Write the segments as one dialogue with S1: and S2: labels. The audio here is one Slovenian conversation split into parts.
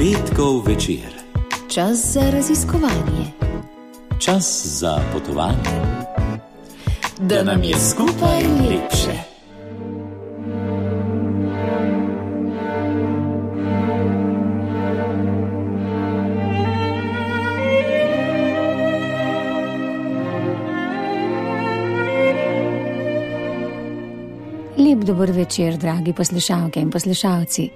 S1: Petkov večer.
S2: Čas za raziskovanje.
S1: Čas za potovanje. Da nam je skupaj lepše.
S2: Lep dober večer, dragi poslušalke in poslušalci.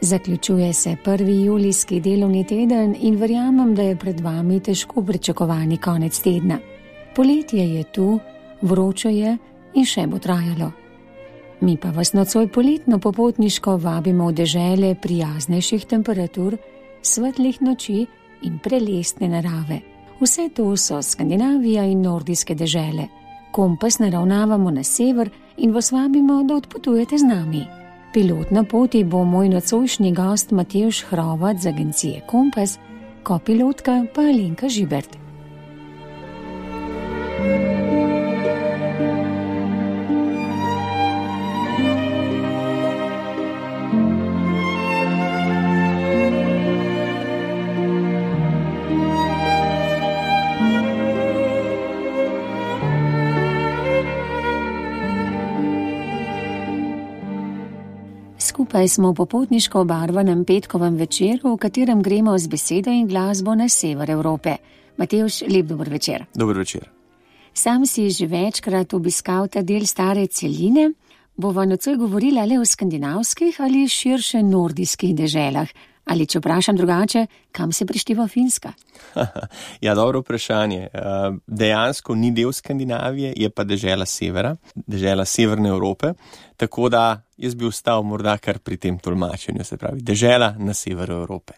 S2: Zaključuje se 1. julijski delovni teden in verjamem, da je pred vami težko pričakovani konec tedna. Poletje je tu, vroče je in še bo trajalo. Mi pa vas nocoj poletno popotniško vabimo v dežele prijaznejših temperatur, svetlih noči in prelestne narave. Vse to so Skandinavija in nordijske dežele. Kompas naravnavamo na sever in vas vabimo, da odpotujete z nami. Pilot na poti bo moj nocojšnji gost Matevž Hrovat z agencije Kompas, kopilotka pa Alenka Žibert. Skupaj smo v popotniško obarvanem petkovem večeru, v katerem gremo z besedo in glasbo na sever Evrope. Matevž, lep dober večer.
S3: Dober večer.
S2: Sam si že večkrat obiskal ta del stare celine. Bova nocoj govorila le o skandinavskih ali širše nordijskih deželah. Ali če vprašam drugače, kam se prišteva Finska?
S3: Ja, dobro vprašanje. Dejansko ni del Skandinavije, je pa dežela severa, dežela severne Evrope, tako da jaz bi ostal morda kar pri tem tolmačenju, se pravi, dežela na severu Evrope.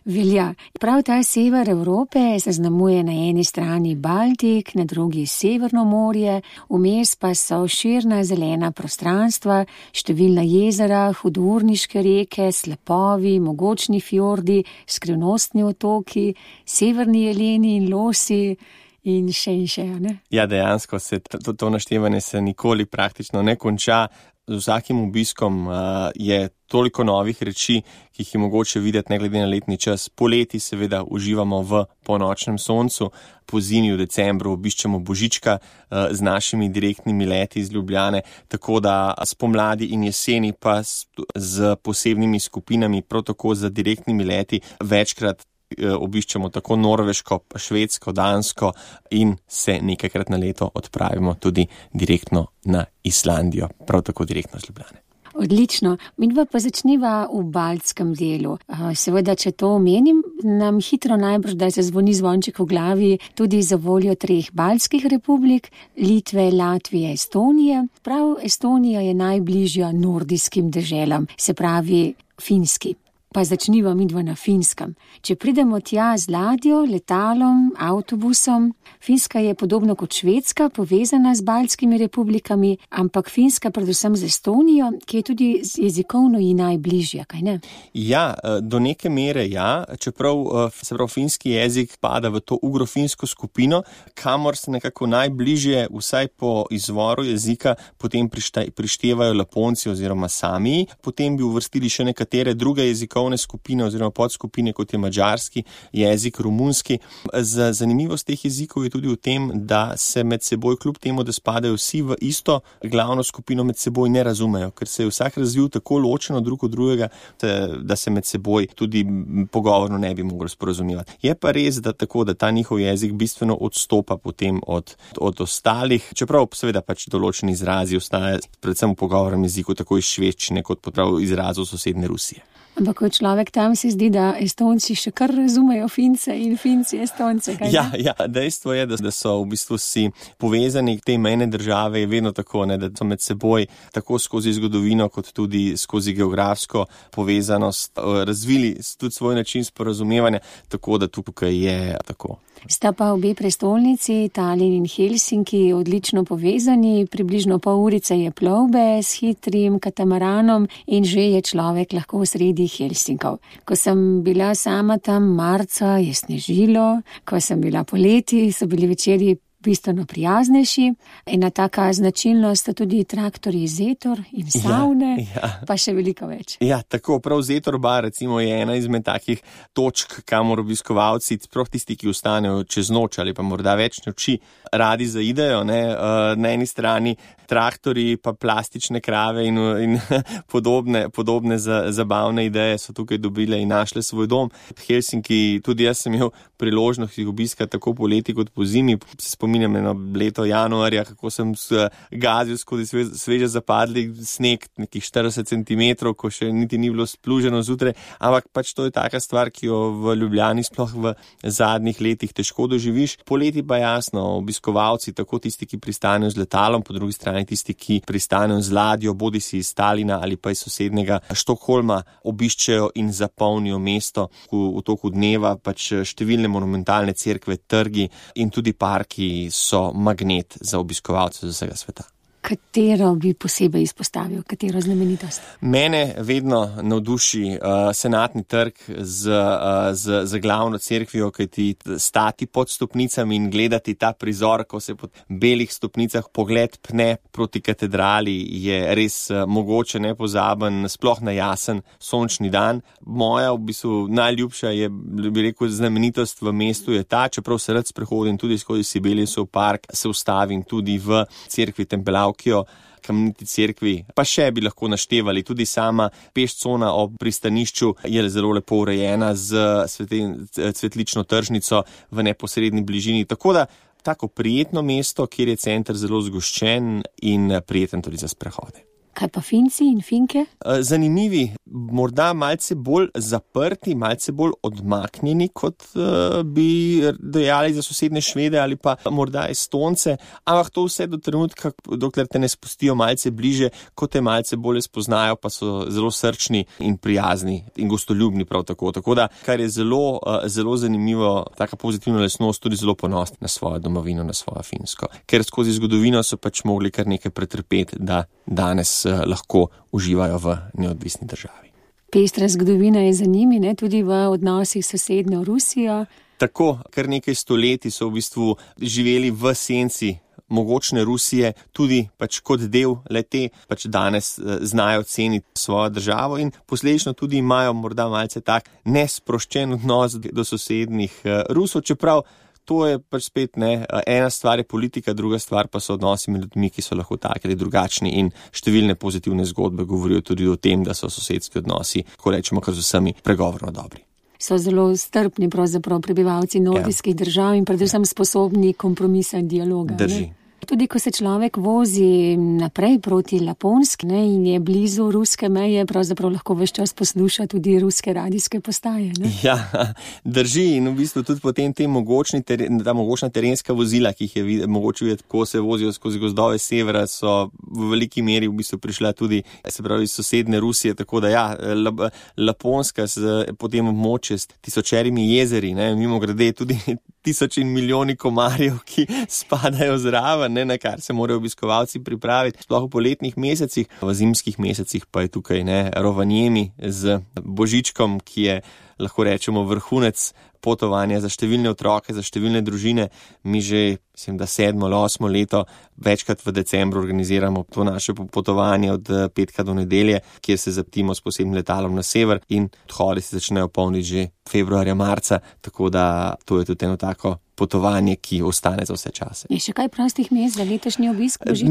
S2: Velja. Prav ta sever Evrope zaznamuje na eni strani Baltik, na drugi Severno morje, vmes pa so širna zelena prostranstva, številna jezera, hudourniške reke, slapovi, mogočni fjordi, skrivnostni otoki, severni jeleni in losi in še, ne?
S3: Ja, dejansko se to naštevanje se nikoli praktično ne konča. Z vsakim obiskom je toliko novih reči, ki jih je mogoče videti ne glede na letni čas. Poleti seveda uživamo v ponočnem soncu, pozimi v decembru obiščemo Božička z našimi direktnimi leti iz Ljubljane, tako da spomladi in jeseni pa z posebnimi skupinami, prav tako z direktnimi leti večkrat obiščemo tako Norveško, Švedsko, Dansko in se nekajkrat na leto odpravimo tudi direktno na Islandijo, prav tako direktno z Ljubljane.
S2: Odlično. Midva pa začniva v baltskem delu. Seveda, če to omenim, nam hitro najbrž, da se zvoni zvonček v glavi tudi za voljo 3 baltskih republik, Litve, Latvije, Estonije. Prav Estonija je najbližja nordijskim deželam, se pravi Finski. Pa začniva midva na Finskem. Če pridemo tja z ladjo, letalom, avtobusom, Finska je podobno kot Švedska povezana z baltskimi republikami, ampak Finska predvsem z Estonijo, ki je tudi jezikovno ji najbližja, kaj ne?
S3: Ja, do neke mere ja, čeprav se pravi finski jezik pada v to ugrofinsko skupino, kamor se nekako najbližje, vsaj po izvoru jezika, potem prištevajo Laponci oziroma Samiji, potem bi uvrstili še nekatere druge jezikovne skupine oziroma podskupine, kot je madžarski jezik, romunski. Zanimivost teh jezikov je tudi v tem, da se med seboj, kljub temu, da spadajo vsi v isto glavno skupino, med seboj ne razumejo, ker se je vsak razvil tako ločeno drug od drugega, da se med seboj tudi pogovorno ne bi mogli sporazumevati. Je pa res, da tako, da ta njihov jezik bistveno odstopa potem od ostalih, čeprav seveda pač določeni izrazi ostajajo predvsem v pogovornem jeziku, tako iz švedščine kot prav izrazov sosednje Rusije.
S2: Ampak kot človek tam se zdi, da Estonci še kar razumejo Fince in Finci Estonce.
S3: Ja, dejstvo je, da so v bistvu si povezani te mejne države, je vedno tako, ne, da so med seboj tako skozi zgodovino kot tudi skozi geografsko povezanost razvili tudi svoj način sporazumevanja, tako da tukaj je tako.
S2: Sta pa obe prestolnici, Tallinn in Helsinki, odlično povezani, približno pol urice je plovbe s hitrim katamaranom in že je človek lahko v sredi Helsinkov. Ko sem bila sama tam marca, je snežilo, ko sem bila poleti, so bili večeri bistveno prijaznejši. Ena taka značilnost sta tudi traktorji Zetor in savne, pa še veliko več.
S3: Ja, tako, prav Zetor bar recimo je ena izmed takih točk, kamor obiskovalci, prav tisti, ki ostanejo čez noč ali pa morda več noči, radi zaidejo, ne, na eni strani traktorji, pa plastične krave in podobne zabavne ideje so tukaj dobile in našle svoj dom. Helsinki, tudi jaz sem imel priložnost jih obiskati tako po leti kot po zimi. Se spominjam eno leto januarja, kako sem gazil skozi sveže zapadli sneg, nekih 40 cm, ko še niti ni bilo spluženo zjutraj, ampak pač to je taka stvar, ki jo v Ljubljani sploh v zadnjih letih težko doživiš. Poleti pa jasno, obiskovalci, tako tisti, ki pristanejo z letalom, po drugi strani tisti, ki pristanejo z ladjo, bodisi iz Talina ali pa iz sosednjega Štokholma, obiščejo in zapolnijo mesto v toku dneva, pač številne monumentalne cerkve, trgi in tudi parki so magnet za obiskovalce z vsega sveta.
S2: Katero bi posebej izpostavil, katero znamenitost?
S3: Mene vedno navduši Senatni trg z glavno cerkvijo, kajti stati pod stopnicami in gledati ta prizor, ko se pod belih stopnicah pogled pne proti katedrali, je res mogoče nepozaben, sploh na jasen sončni dan. Moja v bistvu najljubša je, bi rekel, znamenitost v mestu je ta, čeprav se rad sprehodim tudi skozi Sibeliusov park, se ustavim tudi v cerkvi Tempelaukijo, Kameniti cerkvi, pa še bi lahko naštevali. Tudi sama pešcona ob pristanišču je zelo lepo urejena z cvetlično tržnico v neposredni bližini. Tako da tako prijetno mesto, kjer je center zelo zgoščen in prijeten tudi za sprehode.
S2: Kaj pa Finci in Finke?
S3: Zanimivi, morda malce bolj zaprti, malce bolj odmaknjeni, kot bi dejali za sosednje Švede ali pa morda Estonce, ampak to vse do trenutka, dokler te ne spustijo malce bliže, ko te malce bolje spoznajo, pa so zelo srčni in prijazni in gostoljubni prav tako. Tako da, kar je zelo zanimivo, taka pozitivna lastnost, tudi zelo ponosni na svojo domovino, na svojo Finsko. Ker skozi zgodovino so pač mogli kar nekaj pretrpeti, da danes lahko uživajo v neodvisni državi.
S2: Pestra zgodovina je za njimi, ne, tudi v odnosih s sosednjo Rusijo.
S3: Tako, kar nekaj stoletij so v bistvu živeli v senci mogočne Rusije, tudi pač kot del le-te, pač danes znajo ceniti svojo državo in posledično tudi imajo morda malce tak nesproščen odnos do sosednjih Rusov, čeprav to je pač spet ena stvar je politika, druga stvar pa so odnosi med ljudmi, ki so lahko taki ali drugačni in številne pozitivne zgodbe govorijo tudi o tem, da so sosedski odnosi, ko rečemo, kar z vsemi pregovorno dobri.
S2: So zelo strpni pravzaprav prebivalci nordijskih držav in predvsem sposobni kompromisa in dialoga.
S3: Drži.
S2: Ne? Tudi ko se človek vozi naprej proti Laponski, ne, in je blizu ruske meje, pravzaprav lahko ves čas posluša tudi ruske radijske postaje. Ne?
S3: Ja, drži in v bistvu tudi potem ta mogočna terenska vozila, ki jih je mogoče videti, ko se vozijo skozi gozdove severa, so v veliki meri v bistvu prišla tudi, se pravi, iz sosedne Rusije, tako da ja, Laponska potem območje s tisočerimi jezeri, ne, mimogrede tudi tisoči in milijoni komarjev, ki spadajo zraven, ne, na kar se morajo obiskovalci pripraviti, sploh v poletnih mesecih. V zimskih mesecih pa je tukaj Rovaniemi z Božičkom, ki je, lahko rečemo, vrhunec potovanja za številne otroke, za številne družine. Mi že, mislim, da 7. ali 8. leto večkrat v decembru organiziramo to naše potovanje od petka do nedelje, kjer se zaptimo s posebnim letalom na sever in odhodi se začnejo polniti že februarja, marca, tako da to je tudi eno tako potovanje, ki ostane za vse čase.
S2: Je še kaj prostih mest za letošnji obisk Božička?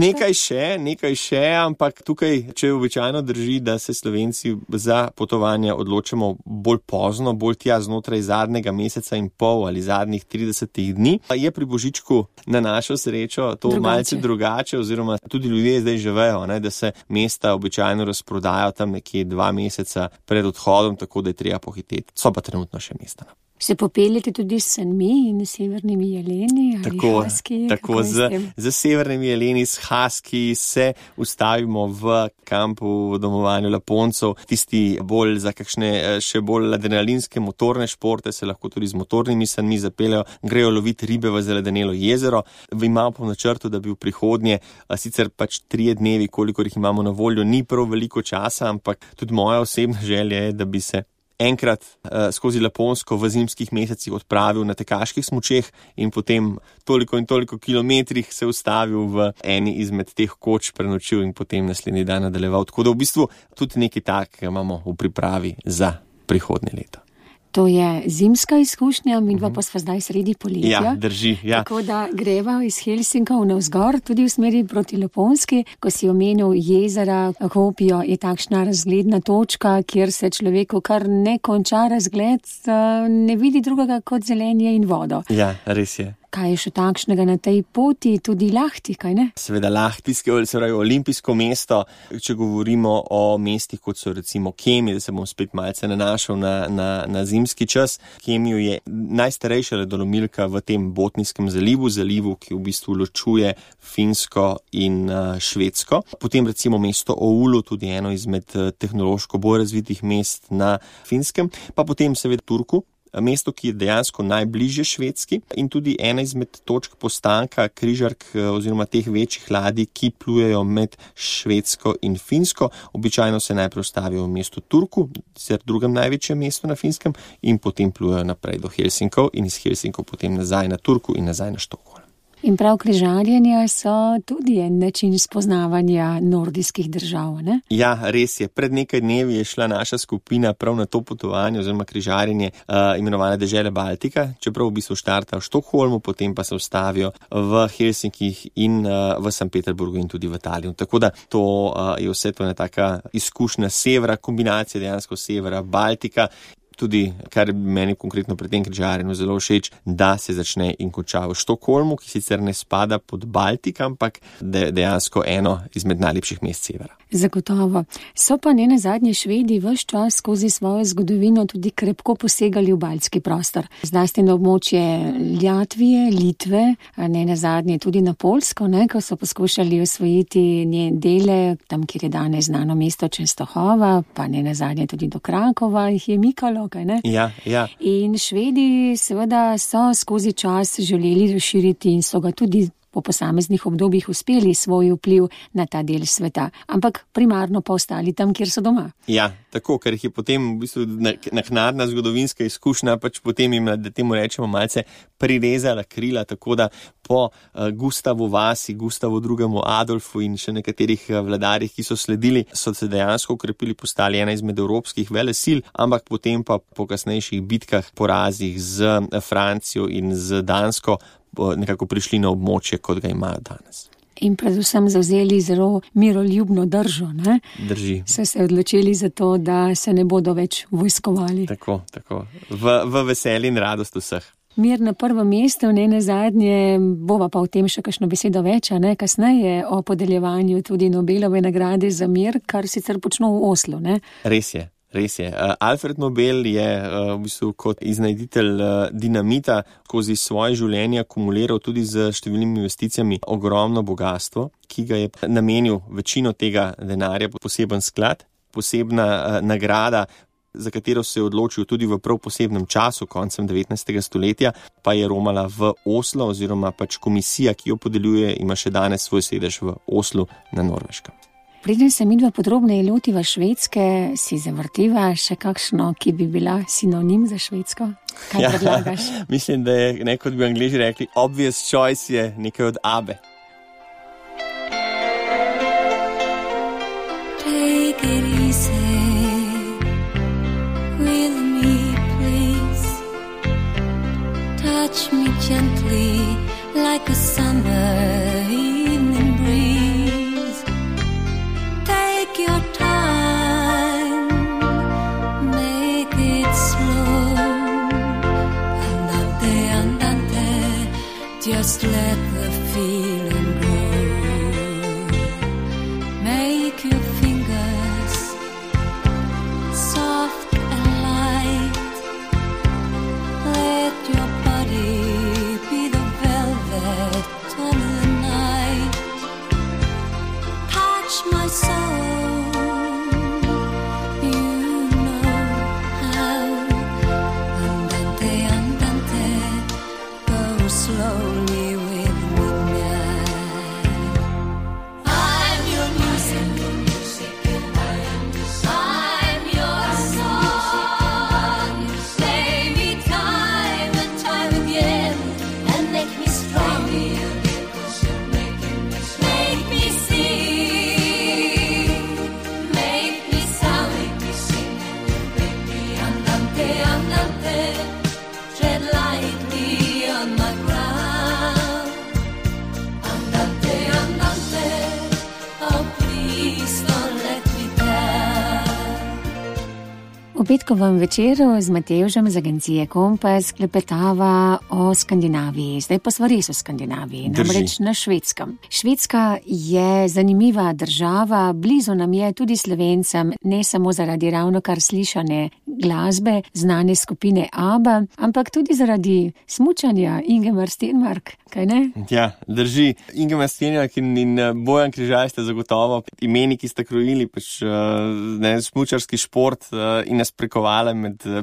S3: Nekaj še, ampak tukaj, če običajno drži, da se Slovenci za potovanje odločamo bolj pozno, bolj tja znotraj zadnjega meseca in pol ali zadnjih 30 dni, je pri Božičku na našo srečo to malce drugače, oziroma tudi ljudje zdaj že vejo, da se mesta običajno razprodajo tam nekje 2 meseca pred odhodom, tako da je treba pohiteti. So pa trenutno še mesta.
S2: Se popeljete tudi s sanmi in severnimi jeleni ali haski?
S3: Tako, z severnimi jeleni, s haski se ustavimo v kampu v domovanju Laponcov. Tisti bolj za kakšne še bolj adrenalinske motorne športe se lahko tudi z motornimi sanmi zapeljajo, grejo loviti ribe v zaledenelo jezero. Imamo po načrtu, da bi v prihodnje, sicer pač 3 dnevi, kolikor jih imamo na voljo, ni prav veliko časa, ampak tudi moja osebna želja je, da bi se enkrat skozi Laponsko v zimskih mesecih odpravil na tekaških smučeh in potem toliko in toliko kilometrih se ustavil v eni izmed teh koč, prenočil in potem naslednji dan nadaljeval. Tako da v bistvu tudi nekaj takega imamo v pripravi za prihodnje leto.
S2: To je zimska izkušnja, midva pa sva zdaj sredi poletja.
S3: Ja, drži, ja.
S2: Tako da greva iz Helsinkov navzgor, tudi v smeri proti Laponski. Ko si omenil jezera Kuopio, je takšna razgledna točka, kjer se človeku kar ne konča razgled, ne vidi drugega kot zelenje in vodo.
S3: Ja, res je.
S2: Kaj je še takšnega na tej poti, tudi Lahti, kaj ne?
S3: Seveda Lahtijsko, se pravi olimpijsko mesto, če govorimo o mestih, kot so recimo Kemi, da se bom spet malce nanašal na zimski čas. Kemiju je najstarejša ledolomilka v tem Botnijskem zalivu, ki v bistvu ločuje Finsko in Švedsko. Potem recimo mesto Oulu, tudi eno izmed tehnološko bolj razvitih mest na Finskem, pa potem seveda Turku. Mesto, ki je dejansko najbližje Švedski in tudi ena izmed točk postanka križark oziroma teh večjih ladij, ki plujejo med Švedsko in Finsko. Običajno se najprej ustavijo v mestu Turku, sicer drugem največjem mestu na Finskem, in potem plujejo naprej do Helsinkov in iz Helsinkov potem nazaj na Turku in nazaj na Štokholm.
S2: In prav križarjenja so tudi en način spoznavanja nordijskih držav, ne?
S3: Ja, res je. Pred nekaj dnevi je šla naša skupina prav na to potovanje oziroma križarjenje imenovane dežele Baltika, čeprav v bistvu štarta v Štokholmu, potem pa se ustavijo v Helsinkih in v St. Peterburgu in tudi v Talinu. Tako da to je vse to ena taka izkušnja severa, kombinacija dejansko severa, Baltika. Tudi, kar meni konkretno pri tem križarjenju zelo všeč, da se začne in konča v Štokholmu, ki sicer ne spada pod Baltik, ampak dejansko eno izmed najlepših mest severa.
S2: Zagotovo. So pa ne nazadnje Švedi ves čas skozi svojo zgodovino tudi krepko posegali v baltski prostor. Zlasti na območje Latvije, Litve, ne nazadnje tudi na Poljsko, ko so poskušali osvojiti njen dele, tam, kjer je danes znano mesto Częstochowa, pa ne nazadnje tudi do Krakova jih je mikalo, kaj ne?
S3: Ja, ja.
S2: In Švedi seveda so skozi čas želeli razširiti in so ga tudi po posameznih obdobjih uspeli svoj vpliv na ta del sveta, ampak primarno pa ostali tam, kjer so doma.
S3: Ja, tako, ker jih je potem v bistvu naknadna zgodovinska izkušnja, pač potem jim, da temu rečemo, malce prirezala krila, tako da po Gustavu Vasi, Gustavu II. Adolfu in še nekaterih vladarjih, ki so sledili, so se dejansko ukrepili, postali ena izmed evropskih velesil, ampak potem pa po kasnejših bitkah, porazih z Francijo in z Dansko nekako prišli na območje, kot ga imajo danes.
S2: In predvsem zavzeli zelo miroljubno držo, ne?
S3: Drži.
S2: So se odločili za to, da se ne bodo več vojskovali.
S3: Tako. V veselje in radost vseh.
S2: Mir na prvem mestu, ne nazadnje, bova pa o tem še kakšno besedo več, ne? Kasneje o podeljevanju tudi Nobelove nagrade za mir, kar sicer počno v Oslu, ne?
S3: Res je. Alfred Nobel je v bistvu kot iznajditelj dinamita skozi svoje življenje akumuliral tudi z številnimi investicijami ogromno bogatstvo, ki ga je namenil večino tega denarja poseben sklad, posebna nagrada, za katero se je odločil tudi v prav posebnem času, koncem 19. stoletja, pa je romala v Oslo oziroma pač komisija, ki jo podeljuje, ima še danes svoj sedež v Oslu na Norveškem.
S2: Preden se midva podrobneje lotiva Švedske, si zavrtiva še kakšno, ki bi bila sinonim za Švedsko? Kaj predlagaš?
S3: Mislim, da je, kot bi Angleži rekli, obvious choice je nekaj od Abbe.
S4: Take it easy with me, please. Touch me gently like a summer evening breeze. Take your time, make it slow. Andante, just let the feeling grow. Make your fingers soft and light. Let your body be the velvet of the night.
S2: petkovem večeru z Matevžem z agencije Kompas klepetava o Skandinaviji. Zdaj pa sva res o Skandinaviji, namreč na Švedskem. Švedska je zanimiva država, blizu nam je tudi Slovencem, ne samo zaradi ravnokar slišane glasbe, znane skupine ABBA, ampak tudi zaradi smučanja Ingemar Stenmark, kaj ne?
S3: Ja, drži. Ingemar Stenmark in Bojan Križaj sta zagotovo imeni, ki sta krojili smučarski šport in nas prekovale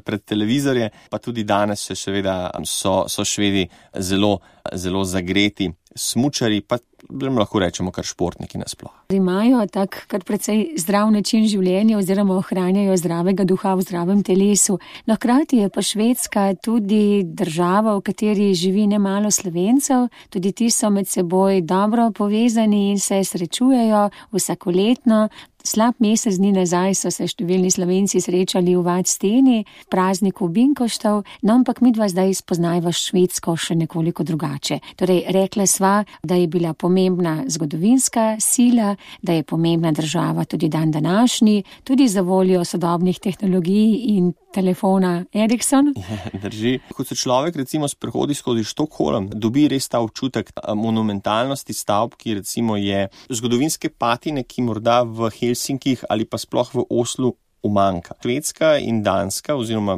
S3: pred televizorje, pa tudi danes še seveda so Švedi zelo, zelo zagreti smučari, pa lahko rečemo kar športniki nasploh.
S2: Imajo tak kar precej zdrav način življenja oziroma ohranjajo zdravega duha v zdravem telesu. No, hkrati je pa Švedska tudi država, v kateri živi nemalo Slovencev, tudi ti so med seboj dobro povezani in se srečujejo vsakoletno. Slab mesec dni nazaj so se številni Slovenci srečali v Vadsteni, prazniku Binkoštov, no ampak midva zdaj spoznajva Švedsko še nekoliko drugače. Torej, rekla sva, da je bila pomembna zgodovinska sila, da je pomembna država tudi dan današnji, tudi za voljo sodobnih tehnologij in telefona Ericsson.
S3: Ja, drži. Ko se človek recimo sprehodi skozi Štokholm, dobi res ta občutek monumentalnosti stavb, ki recimo je zgodovinske patine, ki morda v Helsinkih ali pa sploh v Oslu umanjka. Švedska in Danska oziroma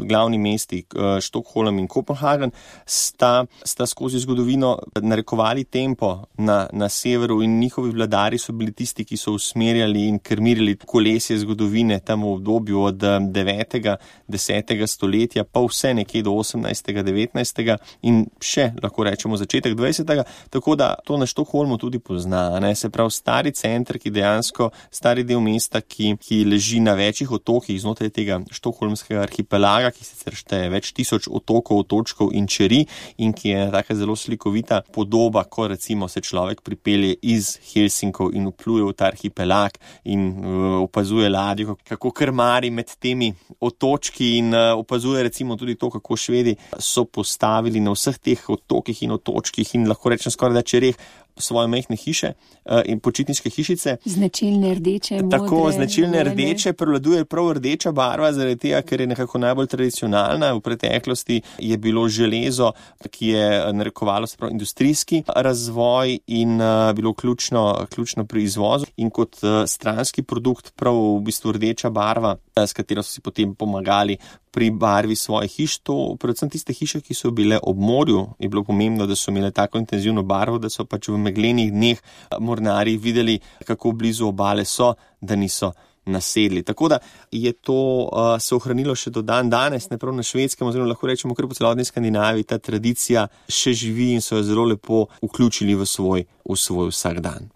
S3: glavni mesti Štokholm in Kopenhagen sta skozi zgodovino narekovali tempo na severu in njihovi vladarji so bili tisti, ki so usmerjali in krmirili kolesje zgodovine tam v obdobju od 9. 10. stoletja pa vse nekje do 18. 19. in še lahko rečemo začetek 20. Tako da to na Štokholmu tudi pozna, ne? Se pravi stari center, ki dejansko stari del mesta, ki leži na večjih otokih znotraj tega štokholmskega arhipelaga, ki sicer šteje več tisoč otokov, otočkov in čeri in ki je taka zelo slikovita podoba, ko recimo se človek pripelje iz Helsinkov in vpluje v ta arhipelag in opazuje ladjo, kako krmari med temi otočki in opazuje recimo tudi to, kako Švedi so postavili na vseh teh otokih in otočkih in lahko rečem skoraj da čereh svoje majhne hiše in počitniške hišice.
S2: Značilne rdeče, modre.
S3: Tako, značilne rdeče, prevladuje prav rdeča barva, zaradi tega, ker je nekako najbolj tradicionalna. V preteklosti je bilo železo, ki je narekovalo se prav industrijski razvoj in bilo ključno pri izvozu. In kot stranski produkt prav v bistvu rdeča barva, s katero so si potem pomagali pri barvi svojih hiš, to predvsem tiste hiše, ki so bile ob morju, je bilo pomembno, da so imele tako intenzivno barvo, da so pač v meglenih dneh mornarji videli, kako blizu obale so, da niso nasedli. Tako da je to se ohranilo še do dan danes, ne prav na Švedskem, oziroma lahko rečemo kar po celotni Skandinaviji, ta tradicija še živi in so jo zelo lepo vključili v svoj vsakdan.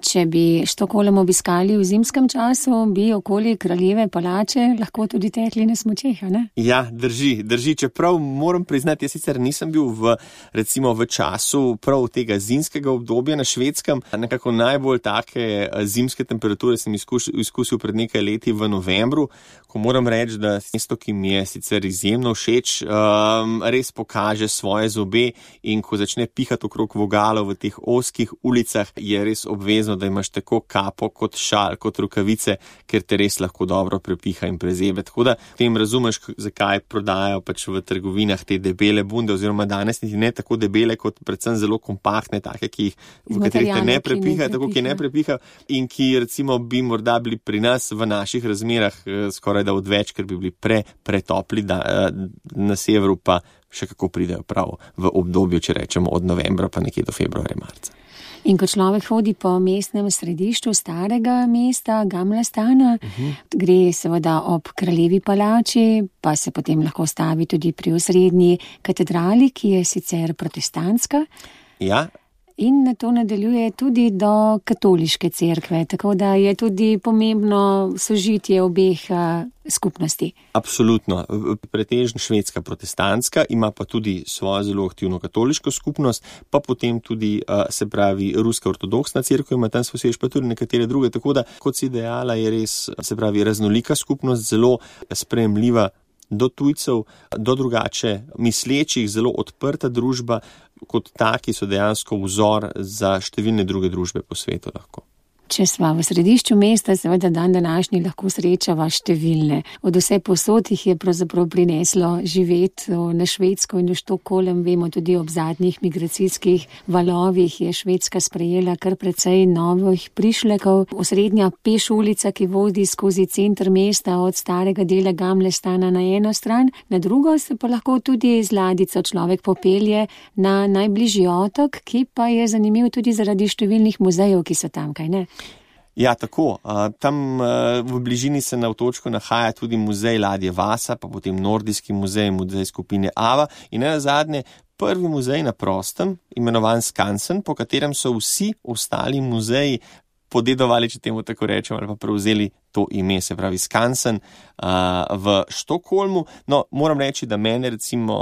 S2: Če bi Štokholm obiskali v zimskem času, bi okoli Kraljeve palače lahko tudi tekli na smučeh, ne?
S3: Ja, drži. Čeprav moram priznati, jaz sicer nisem bil recimo v času prav tega zimskega obdobja na Švedskem. Nekako najbolj take zimske temperature sem izkusil pred nekaj leti v novembru, ko moram reči, da mesto, ki mi je sicer izjemno všeč, res pokaže svoje zobe in ko začne pihati okrog vogalov v teh ozkih ulicah, je res obvezno, da imaš tako kapo kot šal, kot rukavice, ker te res lahko dobro prepiha in prezebe. Tako da tem razumeš, zakaj prodajajo pač v trgovinah te debele bunde, oziroma danes niti ne tako debele, kot predvsem zelo kompaktne, take, v katerih te ne prepiha, tako ki ne prepiha in ki recimo bi morda bili pri nas v naših razmerah skoraj da odveč, ker bi bili pretopli, na severu pa še kako pridejo prav v obdobju, če rečemo od novembra pa nekje do februarja, marca.
S2: In ko človek hodi po mestnem središču starega mesta, Gamla Stana, gre seveda ob Kraljevi palači, pa se potem lahko stavi tudi pri osrednji katedrali, ki je sicer protestantska.
S3: Ja.
S2: In na to nadaljuje tudi do katoliške cerkve, tako da je tudi pomembno sožitje obeh skupnosti.
S3: Absolutno. Pretežno švedska protestantska, ima pa tudi svojo zelo aktivno katoliško skupnost, pa potem tudi, se pravi, ruska ortodoksna cerkev ima tam svoj sedež, pa tudi nekatere druge, tako da, kot si dejala, je res, se pravi, raznolika skupnost, zelo sprejemljiva do tujcev, do drugače mislečih, zelo odprta družba, kot taki so dejansko vzor za številne druge družbe po svetu lahko.
S2: Če sva v središču mesta, seveda dan današnji lahko srečava številne. Od vse posod jih je pravzaprav prineslo živeti na Švedsko in v Štokholm. Vemo tudi ob zadnjih migracijskih valovih je Švedska sprejela kar precej novih prišlekov. Osrednja peš ulica, ki vodi skozi center mesta od starega dela Gamlestana na eno stran, na drugo se pa lahko tudi z ladjico človek popelje na najbližji otok, ki pa je zanimiv tudi zaradi številnih muzejev, ki so tam, kaj ne?
S3: Ja, tako. Tam v bližini se na otočku nahaja tudi muzej ladje Vasa, pa potem nordijski muzej, muzej skupine Ava in nazadnje prvi muzej na prostem, imenovan Skansen, po katerem so vsi ostali muzeji podedovali, če temu tako rečem, ali pa prevzeli to ime, se pravi Skansen v Štokholmu. No, moram reči, da mene recimo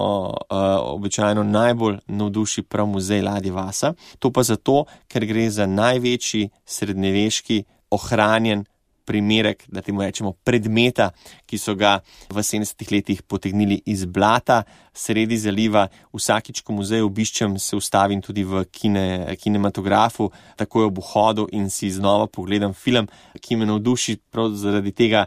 S3: običajno najbolj navduši prav muzej ladje Vasa. To pa zato, ker gre za največji srednjeveški ohranjen primerek, da temu rečemo predmeta, ki so ga v 70 letih potegnili iz blata sredi zaliva. Vsakič, ko muzej obiščem, se ustavim tudi v kinematografu, takoj ob vhodu in si znova pogledam film, ki me navduši prav zaradi tega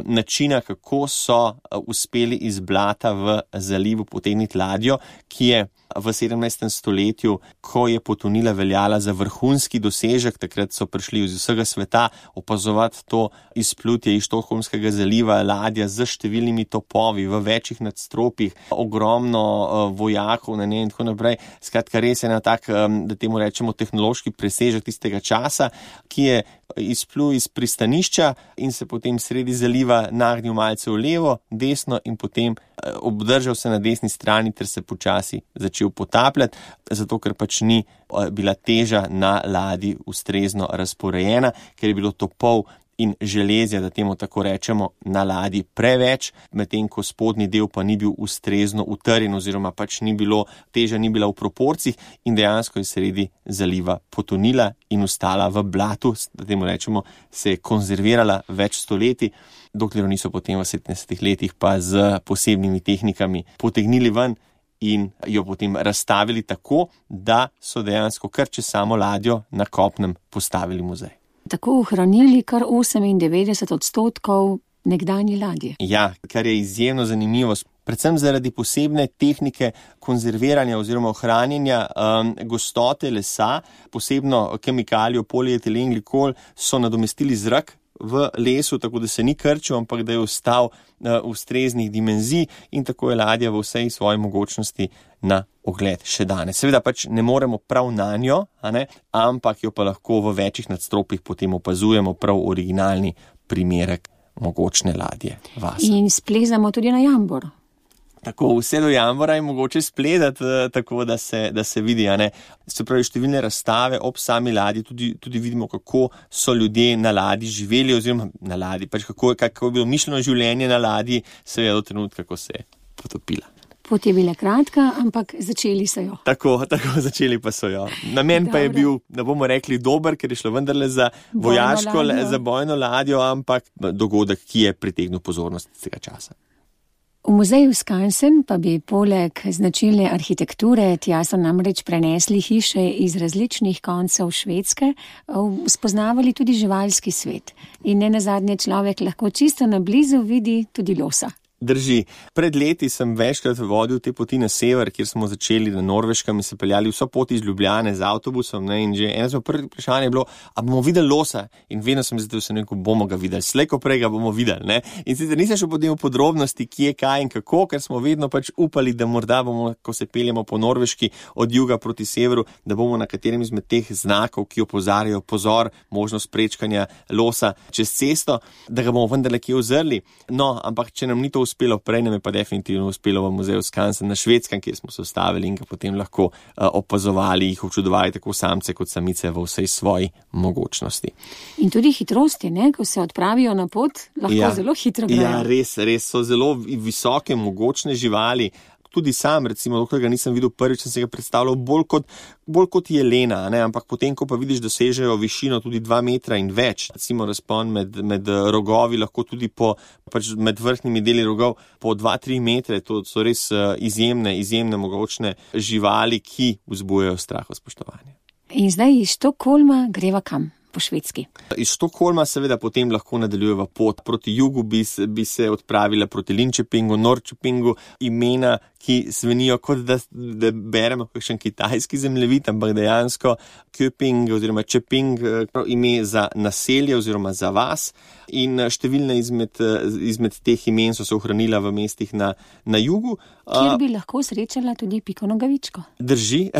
S3: načina, kako so uspeli iz blata v zalivu potegniti ladjo, ki je v 17. stoletju, ko je potonila, veljala za vrhunski dosežek. Takrat so prišli iz vsega sveta opazovati to izplutje iz Štokholmskega zaliva, ladja z številnimi topovi v večjih nadstropjih, ogromno vojakov na njej in tako naprej. Skratka, res je na tak, da temu rečemo, tehnološki presežek tistega časa, ki je izplul iz pristanišča in se potem sredi zaliva nagnil malce v levo, desno in potem obdržal se na desni strani ter se počasi začel potapljati, zato ker pač ni bila teža na ladji ustrezno razporejena, ker je bilo topov in železja, da temu tako rečemo, na ladji preveč, medtem ko spodnji del pa ni bil ustrezno utrjen oziroma pač teža ni bila v proporcih in dejansko je sredi zaliva potonila in ostala v blatu, da temu rečemo, se je konzervirala več stoletij, dokler niso potem v 70 letih pa z posebnimi tehnikami potegnili ven in jo potem razstavili tako, da so dejansko kar čez samo ladjo na kopnem postavili muzej.
S2: Tako ohranili kar 98% nekdanje ladje.
S3: Ja, kar je izjemno zanimivo, predvsem zaradi posebne tehnike konzerviranja oziroma ohranjanja gostote lesa, posebno kemikalijo polietilen glikol so nadomestili zrak v lesu, tako da se ni krčil, ampak da je ostal ustreznih dimenzij in tako je ladja v vsej svoji mogočnosti na ogled še danes. Seveda pač ne moremo prav nanjo, ampak jo pa lahko v večjih nadstropjih potem opazujemo prav originalni primerek mogočne ladje Vasa.
S2: In splezamo tudi na jambor.
S3: Tako, vse do jambora je mogoče spledati, tako da se vidi, Se pravi, številne razstave ob sami ladji, tudi vidimo, kako so ljudje na ladji živeli, oziroma na ladji, pač kako je bilo mišljeno življenje na ladji, seveda do trenutka, ko se je potopila.
S2: Pot je bila kratka, ampak začeli so jo.
S3: Tako, začeli pa so jo. Namen pa je bil, da bomo rekli dober, ker je šlo vendarle za vojaško, za bojno ladjo, ampak dogodek, ki je pritegnil pozornost tega časa.
S2: V muzeju Skansen pa bi poleg značilne arhitekture, tja so namreč prenesli hiše iz različnih koncev Švedske, spoznavali tudi živalski svet. In nenazadnje človek lahko čisto na blizu vidi tudi losa.
S3: Drži. Pred leti sem večkrat vodil te poti na sever, kjer smo začeli na Norveškem in se peljali vso pot iz Ljubljane z avtobusom, in že eno prvo vprašanje je bilo, a bomo videli losa? In vedno sem zato se rekel, bomo ga videli, slej ko prej ga bomo videli, In sicer nisem šel potem v podrobnosti, kje, kaj in kako, ker smo vedno pač upali, da morda bomo, ko se peljemo po Norveški od juga proti severu, da bomo na katerem izmed teh znakov, ki opozarjajo pozor, možnost prečkanja losa čez cesto, da ga bomo vendarle kje uzrli. No, ampak če nam ni to uspelo prej, nam je pa definitivno uspelo v muzeju Skansen na Švedskem, kjer smo se ustavili in ga potem lahko opazovali, jih občudovali tako samce kot samice v vsej svoji mogočnosti.
S2: In tudi hitrosti, ko se odpravijo na pot, lahko zelo hitro grejo.
S3: Ja, res so zelo visoke, mogočne živali. Tudi sam, recimo, dokler ga nisem videl prvič, sem se ga predstavljal bolj kot jelena, ampak potem, ko pa vidiš, da sežejo višino tudi 2 metra in več, recimo razpon med rogovi, lahko tudi med vrhnjimi deli rogov po 2-3 metre, to so res izjemne mogočne živali, ki vzbujajo strah, spoštovanje.
S2: In zdaj iz Štokholma greva kam? po Švedski.
S3: Iz Štokholma seveda potem lahko nadaljujeva pot. Proti jugu bi se odpravila proti Linköpingu, Norrköpingu, imena, ki zvenijo kot da beremo kakšen kitajski zemljevid, ampak dejansko Köping oziroma Čeping, ime za naselje oziroma za vas. In številne izmed teh imen so se ohranila v mestih na jugu.
S2: Kjer bi lahko srečala tudi Piko Nogavičko.
S3: Drži.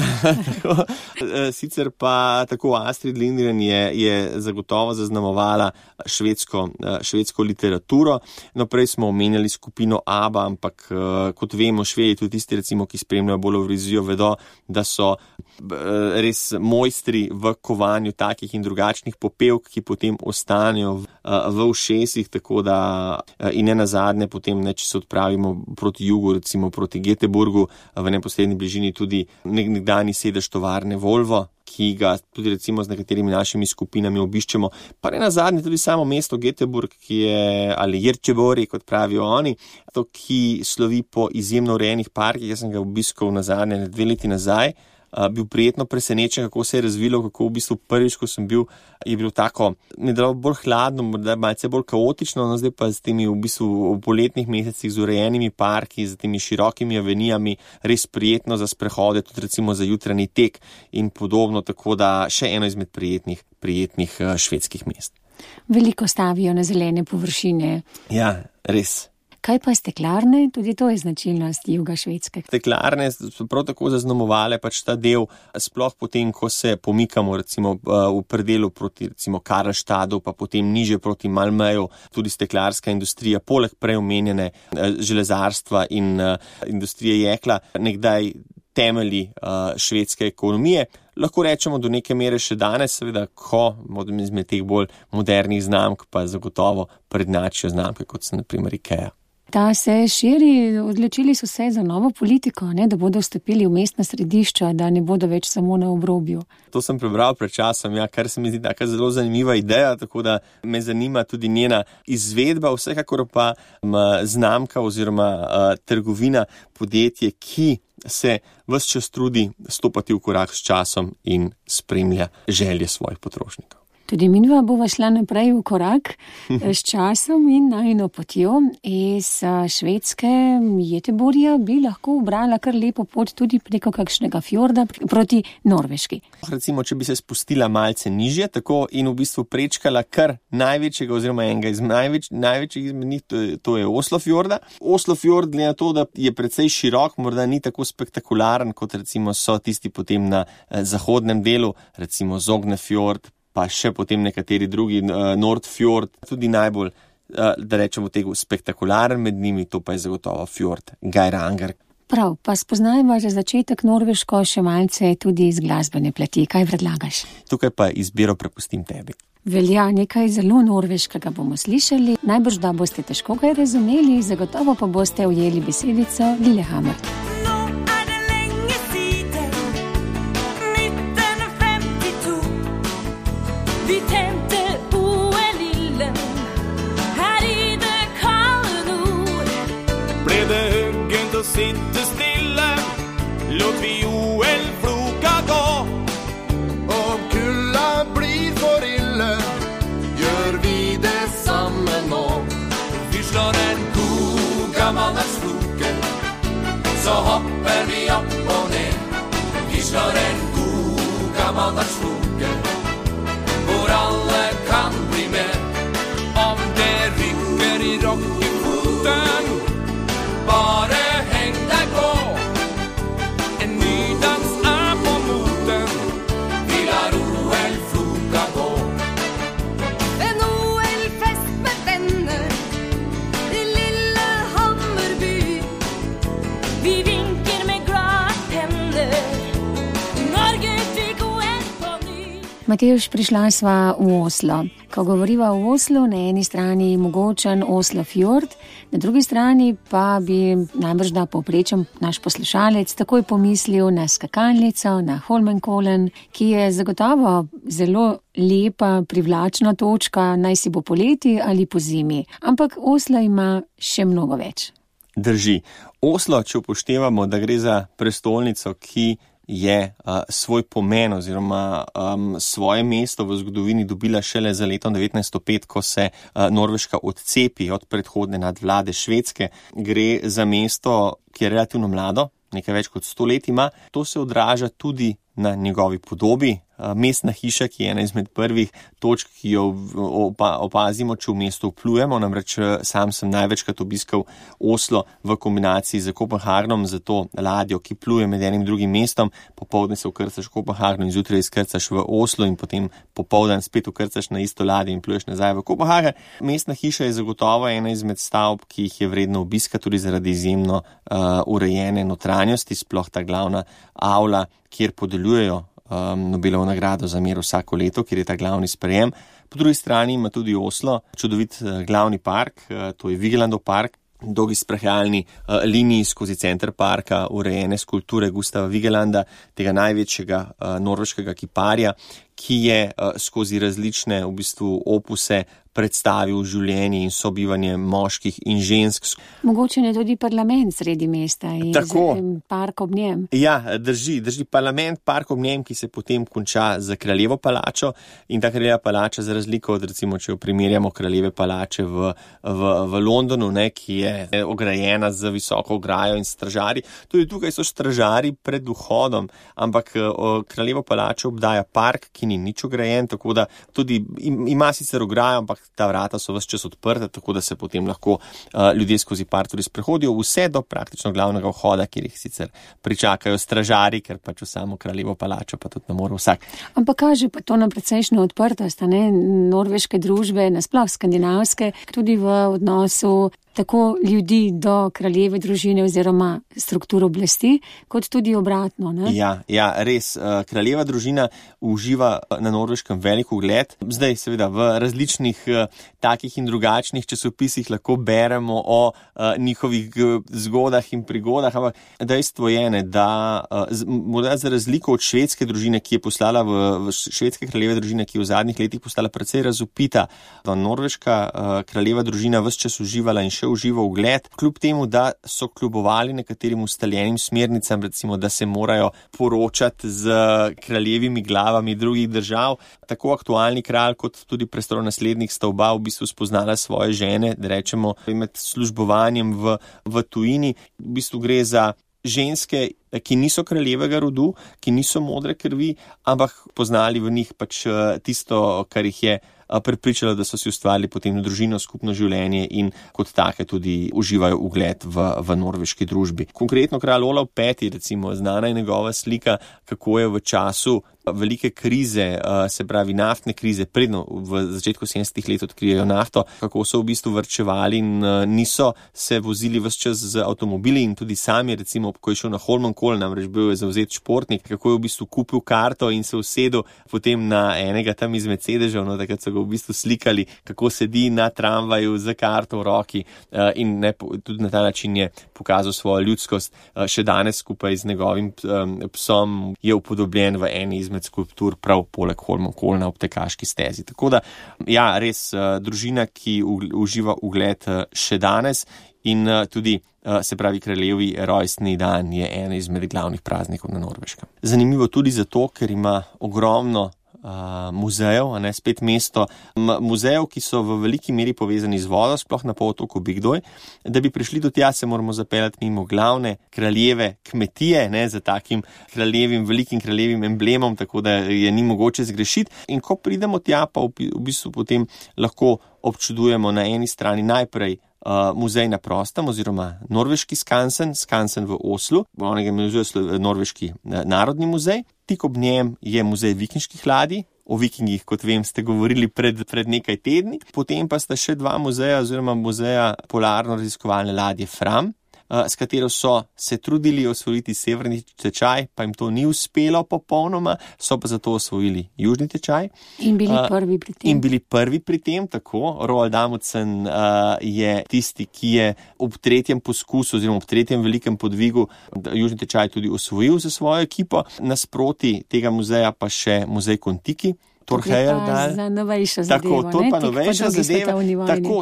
S3: Sicer pa tako Astrid Lindgren je zagotovo zaznamovala švedsko literaturo. No, prej smo omenjali skupino ABBA, ampak kot vemo, Švedi, tudi tisti recimo, ki spremljajo bolj Evrovizijo, vedo, da so res mojstri v kovanju takih in drugačnih popevk, ki potem ostanejo v ušesih, tako da in ne nazadnje potem, če se odpravimo proti jugu, recimo proti Göteborgu, v neposredni bližini tudi nekdanji sedež tovarne Volvo, ki ga tudi recimo z nekaterimi našimi skupinami obiščemo, pa ne nazadnje tudi samo mesto Göteborg, ki je, ali Jerčebori, kot pravijo oni, to, ki slovi po izjemno urejenih parkih. Jaz sem ga obiskal nazadnje 2 leti nazaj, bil prijetno presenečen, kako se je razvilo, kako v bistvu prvič, ko sem bil, je bilo tako, ne dalo bolj hladno, morda malce bolj kaotično, no zdaj pa z temi v bistvu v poletnih mesecih z urejenimi parki, z temi širokimi avenijami, res prijetno za sprehode, tudi recimo za jutranji tek in podobno, tako da še eno izmed prijetnih švedskih mest.
S2: Veliko stavijo na zelene površine.
S3: Ja, res.
S2: Kaj pa steklarne? Tudi to je značilnost juga Švedske.
S3: Steklarne so prav tako zaznamovale pač ta del, sploh potem, ko se pomikamo recimo v predelu proti recimo Karlstadu, pa potem niže proti Malmöju, tudi steklarska industrija, poleg prej omenjene železarstva in industrije jekla, nekdaj temelji švedske ekonomije. Lahko rečemo do neke mere še danes, seveda, ko izmed teh bolj modernih znamk pa zagotovo prednjačijo znamke, kot so na primer IKEA.
S2: Ta se širi, odločili so se za novo politiko, da bodo vstopili v mestna središča, da ne bodo več samo na obrobju.
S3: To sem prebral pred časom, kar se mi zdi taka zelo zanimiva ideja, tako da me zanima tudi njena izvedba, vsekakor pa znamka oziroma trgovina, podjetje, ki se ves čas trudi stopati v korak s časom in spremlja želje svojih potrošnikov.
S2: Tudi minva bova šla naprej v korak s časom in najino potjo. Iz Švedske Göteborga bi lahko ubrala kar lepo pot tudi preko kakšnega fjorda proti Norveški.
S3: Recimo, če bi se spustila malce nižje, tako in v bistvu prečkala kar največjega oziroma enega iz največjih izmed njih, to je Oslofjorda. Oslofjord, glede na to, da je precej širok, morda ni tako spektakularen, kot recimo so tisti potem na zahodnem delu, recimo Sognefjord, pa še potem nekateri drugi, Nordfjord, tudi najbolj, da rečemo tega, spektakularen med njimi, to pa je zagotovo fjord Geiranger.
S2: Prav, pa spoznajmo za začetek Norveško še malce tudi iz glasbene plati. Kaj predlagaš?
S3: Tukaj pa izbiro prepustim tebi.
S2: Velja, nekaj zelo norveškega bomo slišali, najbrž da boste težko kaj razumeli, zagotovo pa boste ujeli besedico Lillehammer.
S5: Sitte stille, låt vi OL-floka gå. Om kulda blir for ille, gjør vi det sammen nå. Vi slår en gammeldags floke, så hopper vi opp og ned. Vi slår en gammeldags floke, hvor alle kan bli med. Om det rykker i rockefoten, bare
S2: Matevž, prišla sva v Oslo. Ko govoriva o Oslu, na eni strani mogočen Oslofjord, na drugi strani pa bi najbrž da povprečen naš poslušalec takoj pomislil na skakalnico, na Holmenkollen, ki je zagotovo zelo lepa, privlačna točka, naj si bo poleti ali po zimi. Ampak Oslo ima še mnogo več.
S3: Drži. Oslo, če upoštevamo, da gre za prestolnico, ki je svoj pomen oziroma svoje mesto v zgodovini dobila šele za letom 1905, ko se Norveška odcepi od predhodne nadvlade Švedske. Gre za mesto, ki je relativno mlado, nekaj več kot 100 let ima. To se odraža tudi na njegovi podobi. Mestna hiša, ki je ena izmed prvih točk, ki jo opazimo, če v mesto vplujemo. Namreč sam sem največkrat obiskal Oslo v kombinaciji z Kopenhagnom, za to ladjo, ki pluje med enim drugim mestom. Popoldne se vkrcaš v Kopenhagnu in zjutraj izkrcaš v Oslo in potem popoldan spet vkrcaš na isto ladjo in pluješ nazaj v Kopenhagen. Mestna hiša je zagotovo ena izmed stavb, ki jih je vredno obiska tudi zaradi izjemno urejene notranjosti, sploh ta glavna avla, kjer podeljujejo Nobelovo nagrado za mir vsako leto, kjer je ta glavni sprejem. Po drugi strani ima tudi Oslo čudovit glavni park, to je Vigelandov park, dolgi sprehajalni liniji skozi center parka, urejene skulpture Gustava Vigelanda, tega največjega norveškega kiparja, ki je skozi različne v bistvu opuse predstavil življenje in sobivanje moških in žensk.
S2: Mogoče je tudi parlament sredi mesta in park ob njem.
S3: Ja, drži parlament, park ob njem, ki se potem konča z Kraljevo palačo in ta Kraljeva palača, za razliko od recimo, če jo primerjamo Kraljeve palače v Londonu, ki je ograjena z visoko ograjo in stražarji. Tudi tukaj so stražarji pred vhodom, ampak Kraljevo palačo obdaja park, ki ni nič ograjen, tako da tudi ima sicer ograjo, ampak ta vrata so ves čas odprta, tako da se potem lahko ljudje skozi park tudi sprehodijo vse do praktično glavnega vhoda, kjer jih sicer pričakajo stražari, ker pač v samo Kraljevo palačo pa tudi ne more vsak.
S2: Ampak kaže pa to na precejšnjo odprtost, norveške družbe, nasploh skandinavske, tudi v odnosu tako ljudi do kraljeve družine oziroma struktur oblasti, kot tudi obratno.
S3: Ja, res. Kraljeva družina uživa na Norveškem velik ugled. Zdaj seveda v različnih takih in drugačnih časopisih lahko beremo o njihovih zgodah in prigodah, ampak dejstvo je, da morda za razliko od švedske družine, ki je postala v švedske kraljeve družine, ki je v zadnjih letih postala precej razvpita, norveška kraljeva družina ves čas uživala in še uživa ugled, kljub temu, da so kljubovali nekaterim ustaljenim smernicam, recimo, da se morajo poročati z kraljevimi glavami drugih držav. Tako aktualni kralj kot tudi prestolonaslednik sta oba v bistvu spoznala svoje žene, da rečemo, med službovanjem v tujini. V bistvu gre za ženske, ki niso kraljevega rodu, ki niso modre krvi, ampak poznali v njih pač tisto, kar jih je prepričalo, da so si ustvarili potem družino, skupno življenje in kot take tudi uživajo ugled v norveški družbi. Konkretno kralj Olav V, recimo, znana je njegova slika, kako je v času velike krize, se pravi naftne krize, predno v začetku 70-ih let odkrijejo nafto, kako so v bistvu varčevali in niso se vozili ves čas z avtomobili in tudi sami, recimo, ko je šel na Holmenkollen, namreč bil je zavzet športnik, kako je v bistvu kupil karto in se usedel potem na enega tam izmed sedežev, takrat so ga v bistvu slikali, kako sedi na tramvaju z karto v roki in tudi na ta način je pokazal svojo ljudskost. Še danes skupaj z njegovim psom je upodobljen v eni izmed skulptur prav poleg Holmenkollena ob tekaški stezi. Tako da, ja, res družina, ki uživa ugled še danes in tudi, se pravi, kraljevi rojstni dan je ena izmed glavnih praznikov na Norveškem. Zanimivo tudi zato, ker ima ogromno muzejev, spet mesto muzejev, ki so v veliki meri povezani z vodo, sploh na polotoku Bygdøy. Da bi prišli do tja, se moramo zapeljati mimo glavne kraljeve kmetije, za takim velikim kraljevim emblemom, tako da je ni mogoče zgrešiti. In ko pridemo tja, pa v bistvu potem lahko občudujemo na eni strani najprej muzej na prostem oziroma norveški skansen v Oslu, onega imenuje norveški narodni muzej. Tik ob njem je muzej vikinških ladij. O vikingih, kot vem, ste govorili pred nekaj tedni. Potem pa sta še dva muzeja oziroma muzeja polarno-raziskovalne ladje Fram, s katero so se trudili osvojiti severni tečaj, pa jim to ni uspelo popolnoma, so pa zato osvojili južni tečaj.
S2: In bili prvi pri tem. Tako. Roald Amundsen je tisti, ki je ob tretjem poskusu oziroma ob tretjem velikem podvigu južni tečaj tudi osvojil za svojo ekipo. Nasproti tega muzeja pa še muzej Kon-Tiki,
S3: Thor Heyerdahl.
S2: Za novejšo zadevo.
S3: Tako, to pa novejša zadeva.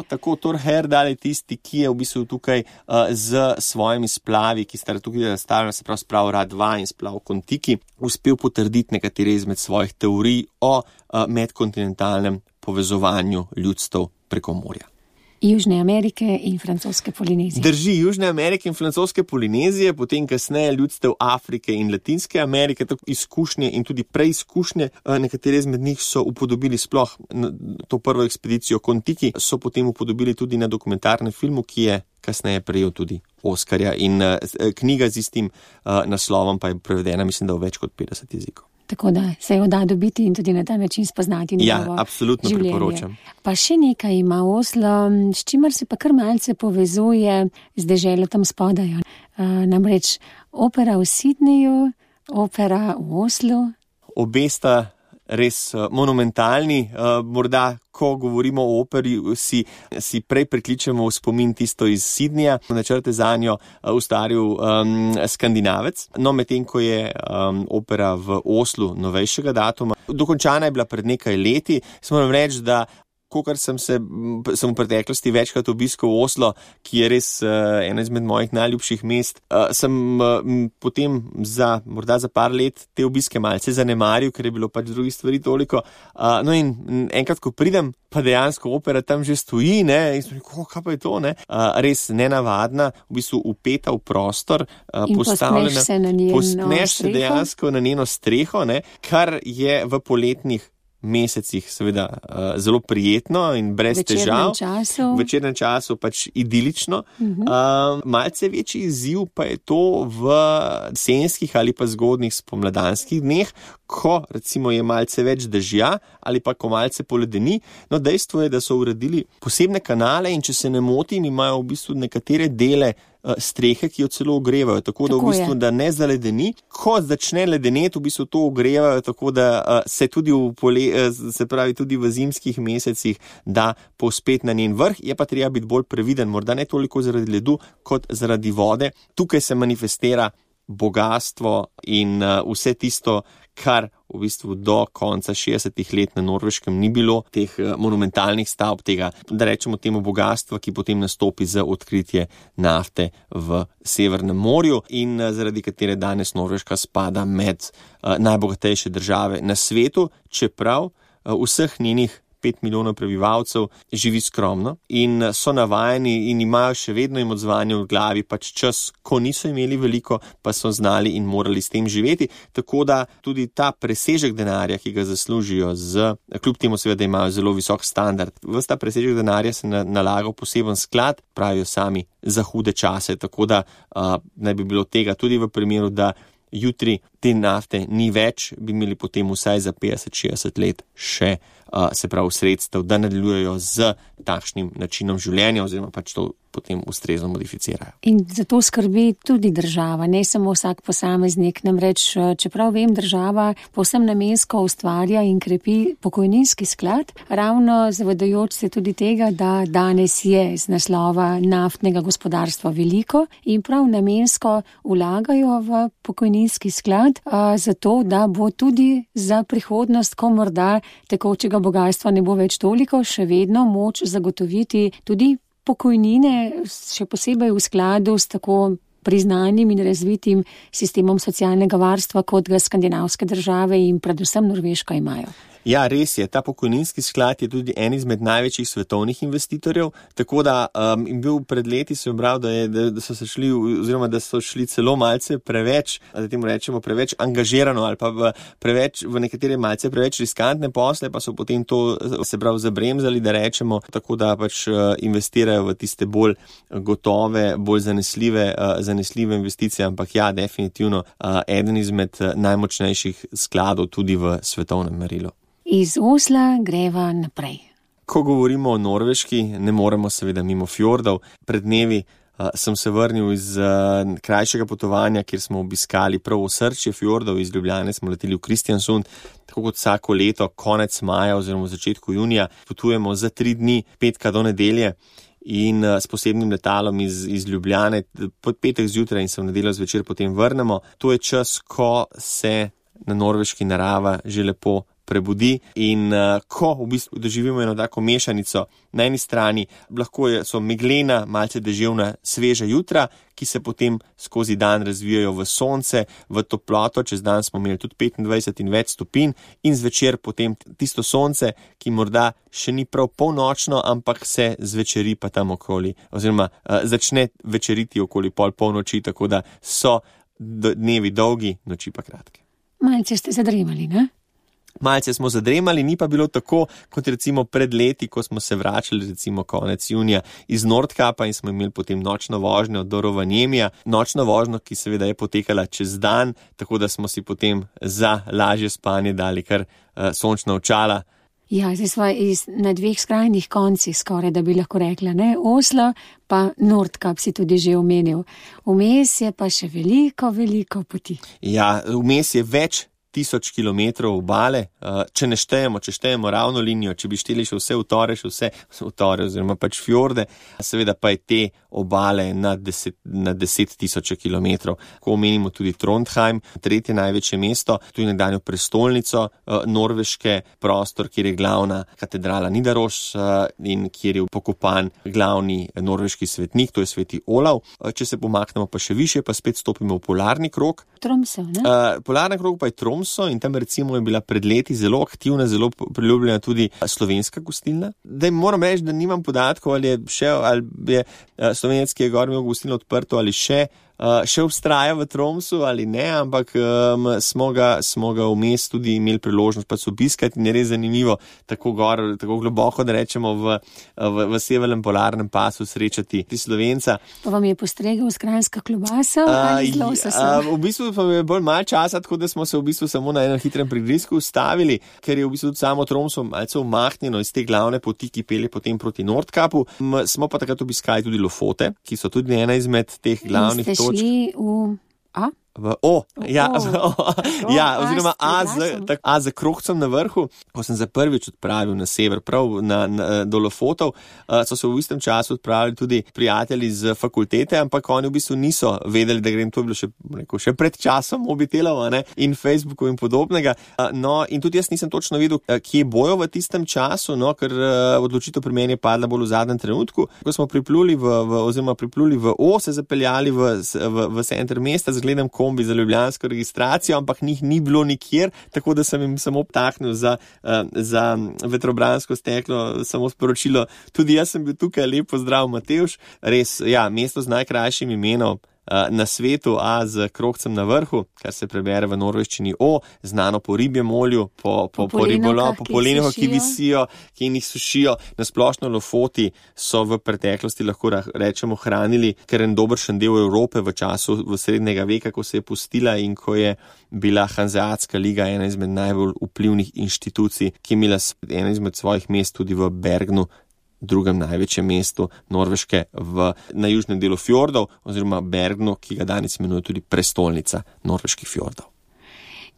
S3: Tako, Thor Heyerdahl je tisti, ki je v bistvu tukaj z svojimi splavi, ki sta tukaj razstavljena, se pravi splav Ra-2 in splav Kon-Tiki, uspel potrditi nekatere izmed svojih teorij o medkontinentalnem povezovanju ljudstev preko morja.
S2: Južne Amerike in francoske Polinezije.
S3: Drži, Južne Amerike in francoske Polinezije, potem kasneje ljudstev Afrike in Latinske Amerike, tako izkušnje in tudi preizkušnje. Nekatere izmed njih so upodobili sploh to prvo ekspedicijo Kon-Tiki, so potem upodobili tudi na dokumentarnem filmu, ki je kasneje prejel tudi Oskarja, in knjiga z istim naslovom pa je prevedena, mislim, da v več kot 50 jezikov.
S2: Tako da se jo da dobiti in tudi na ta način spoznati njegovo življenje.
S3: Ja, absolutno priporočam.
S2: Pa še nekaj ima Oslo, s čimer se pa kar malce povezuje z deželo tam spodaj. Namreč opera v Sydneyju, opera v Oslu.
S3: Obe sta res monumentalni. Morda, ko govorimo o operi, si prej prikličemo v spomin tisto iz Sydneyja, načrte zanjo ustvaril Skandinavec. No, medtem ko je opera v Oslu novejšega datuma, dokončana je bila pred nekaj leti. Moram reči, da kolikor sem v preteklosti večkrat obiskal Oslo, ki je res eno izmed mojih najljubših mest, sem potem morda za par let te obiske malce zanemaril, ker je bilo pač drugih stvari toliko. No in enkrat, ko pridem, pa dejansko opera tam že stoji, ne, in sem rekel, kaj pa je to, ne? Res nenavadna, v bistvu upeta v prostor, postavljena. Pospneš se dejansko na njeno streho, ne, kar je v poletnih mesecih seveda zelo prijetno in brez težav. V večernem času pač idilično. Malce večji izziv pa je to v jesenskih ali pa zgodnjih spomladanskih dneh, ko recimo je malce več dežja ali pa ko malce poledeni. No, dejstvo je, da so uredili posebne kanale in če se ne motim, imajo v bistvu nekatere dele strehe, ki jo celo ogrevajo, tako da v bistvu, da ne zaledeni. Ko začne ledeneti, v bistvu to ogrevajo, tako da se tudi tudi v zimskih mesecih da povzpeti na njen vrh, je pa treba biti bolj previden, morda ne toliko zaradi ledu, kot zaradi vode. Tukaj se manifestira bogastvo in vse tisto, kar v bistvu do konca 60-ih let na Norveškem ni bilo, teh monumentalnih stavb, tega, da rečemo temu bogatstva, ki potem nastopi za odkritje nafte v Severnem morju in zaradi katere danes Norveška spada med najbogatejše države na svetu, čeprav vseh njenih 5 milijonov prebivalcev živi skromno in so navajeni in imajo še vedno jim odzvanje v glavi pač čas, ko niso imeli veliko, pa so znali in morali s tem živeti. Tako da tudi ta presežek denarja, ki ga zaslužijo kljub temu seveda, da imajo zelo visok standard, ves ta presežek denarja se nalaga v poseben sklad, pravijo sami, za hude čase. Tako da naj bi bilo tega tudi v primeru, da jutri te nafte ni več, bi imeli potem vsaj za 50-60 let še se pravi sredstev, da nadaljujejo z takšnim načinom življenja oziroma pač to potem ustrezno modificirajo.
S2: In zato skrbi tudi država, ne samo vsak posameznik. Namreč, čeprav vem, država povsem namensko ustvarja in krepi pokojninski sklad, ravno zavedajoč se tudi tega, da danes je z naslova naftnega gospodarstva veliko in prav namensko vlagajo v pokojninski sklad, zato da bo tudi za prihodnost, ko morda tekočega bogastva ne bo več toliko, še vedno moč zagotoviti tudi pokojnine, še posebej v skladu s tako priznanim in razvitim sistemom socialnega varstva, kot ga skandinavske države in predvsem Norveška imajo.
S3: Ja, res je. Ta pokojninski sklad je tudi en izmed največjih svetovnih investitorjev, tako da in bil pred leti se obral, da so šli celo malce preveč, da temu rečemo preveč angažirano ali pa v nekatere malce preveč riskantne posle, pa so potem to se prav zabremzali, da rečemo, tako da pač investirajo v tiste bolj gotove, bolj zanesljive investicije, ampak ja, definitivno eden izmed najmočnejših skladov tudi v svetovnem merilu.
S2: Iz Osla greva naprej.
S3: Ko govorimo o Norveški, ne moremo seveda mimo fjordov. Pred dnevi sem se vrnil iz krajšega potovanja, kjer smo obiskali prav osrčje fjordov. Iz Ljubljane smo leteli v Kristiansund, tako kot vsako leto, konec maja oziroma začetku junija. Potujemo za 3 dni, petka do nedelje. In s posebnim letalom iz Ljubljane pod petek zjutraj in se v nedeljo zvečer potem vrnemo. To je čas, ko se na Norveški narava že lepo prebudi in ko v bistvu doživimo eno tako mešanico, na eni strani lahko so meglena, malce deževna, sveža jutra, ki se potem skozi dan razvijajo v sonce, v toploto, čez dan smo imeli tudi 25 in več stopinj in zvečer potem tisto sonce, ki morda še ni prav polnočno, ampak se zvečeri pa tam okoli, oziroma začne večeriti okoli polnoči, tako da so dnevi dolgi, noči pa kratke.
S2: Malce ste zadremali, ne?
S3: Malce smo zadremali, ni pa bilo tako, kot recimo pred leti, ko smo se vračali recimo konec junija iz Nordkapa in smo imeli potem nočno vožnjo do Rovaniemija. Nočno vožnjo, ki seveda je potekala čez dan, tako da smo si potem za lažje spanje dali kar sončna očala.
S2: Ja, zdaj smo na dveh skrajnih koncih skoraj, da bi lahko rekla, ne? Oslo pa Nordkap si tudi že omenil. Vmes je pa še veliko poti.
S3: Ja, vmes je več 1000 kilometrov obale, če štejemo ravno linijo, če bi šteli še vse utore, oziroma pač fjorde, seveda pa je te obale na 10.000 kilometrov. Ko omenimo tudi Trondheim, tretje največje mesto, tudi nekdanjo prestolnico norveške, prostor, kjer je glavna katedrala Nidaros in kjer je pokopan glavni norveški svetnik, to je sveti Olav. Če se pomaknemo pa še više, pa spet stopimo v polarni krog.
S2: Tromsø, ne?
S3: Polarni krog pa je Tromsø in tam recimo je bila pred leti zelo aktivna, zelo priljubljena tudi slovenska gostilna. Daj moram reči, da nimam podatkov, ali je Slovenec, ki je gor imel gostilno odprto ali še obstraja v Tromsø ali ne, ampak smo ga vmes tudi imeli priložnost pa obiskati in je res zanimivo tako globoko, da rečemo v severnem polarnem pasu srečati Slovenca.
S2: Pa vam je postregel s kranjska klobasa ali z lososom?
S3: V bistvu pa je bolj malo časa, tako da smo se v bistvu samo na enem hitrem prigrizku ustavili, ker je v bistvu samo Tromsø malce umahnjeno iz te glavne poti, ki pelje potem proti Nordkapu. Smo pa takrat obiskali tudi Lofote, ki so tudi ena izmed teh glavnih točk.
S2: Šli v A?
S3: Oziroma A za Krohcem na vrhu. Ko sem za prvič odpravil na sever, prav do Lofotov, so se v istem času odpravili tudi prijatelji z fakultete, ampak oni v bistvu niso vedeli, da grem, to je bilo še pred časom mobitelov, in Facebookov in podobnega. In tudi jaz nisem točno vedel, kje bojo v tistem času, ker odločitev pri meni je padla bolj v zadnjem trenutku. Ko smo pripluli v O, se zapeljali v center mesta, zgledam kombi za ljubljansko registracijo, ampak njih ni bilo nikjer, tako da sem jim samo obtahnil za vetrobransko steklo, samo sporočilo. Tudi jaz sem bil tukaj, lep pozdrav Matevž. Res, ja, mesto z najkrajšim imenom na svetu, A z Krohcem na vrhu, kar se prebere v norveščini O, znano po ribjem olju, po polenovkah, ki visijo, ki jih sušijo. Na splošno Lofoti so v preteklosti, lahko rečemo, hranili kar en dobršen del Evrope v času srednjega veka, ko se je pustila in ko je bila Hanzeatska liga ena izmed najbolj vplivnih inštitucij, ki je imela ena izmed svojih mest tudi v Bergnu, drugem največjem mestu Norveške na južnem delu fjordov, oziroma Bergnu, ki ga danes imenuje tudi prestolnica norveških fjordov.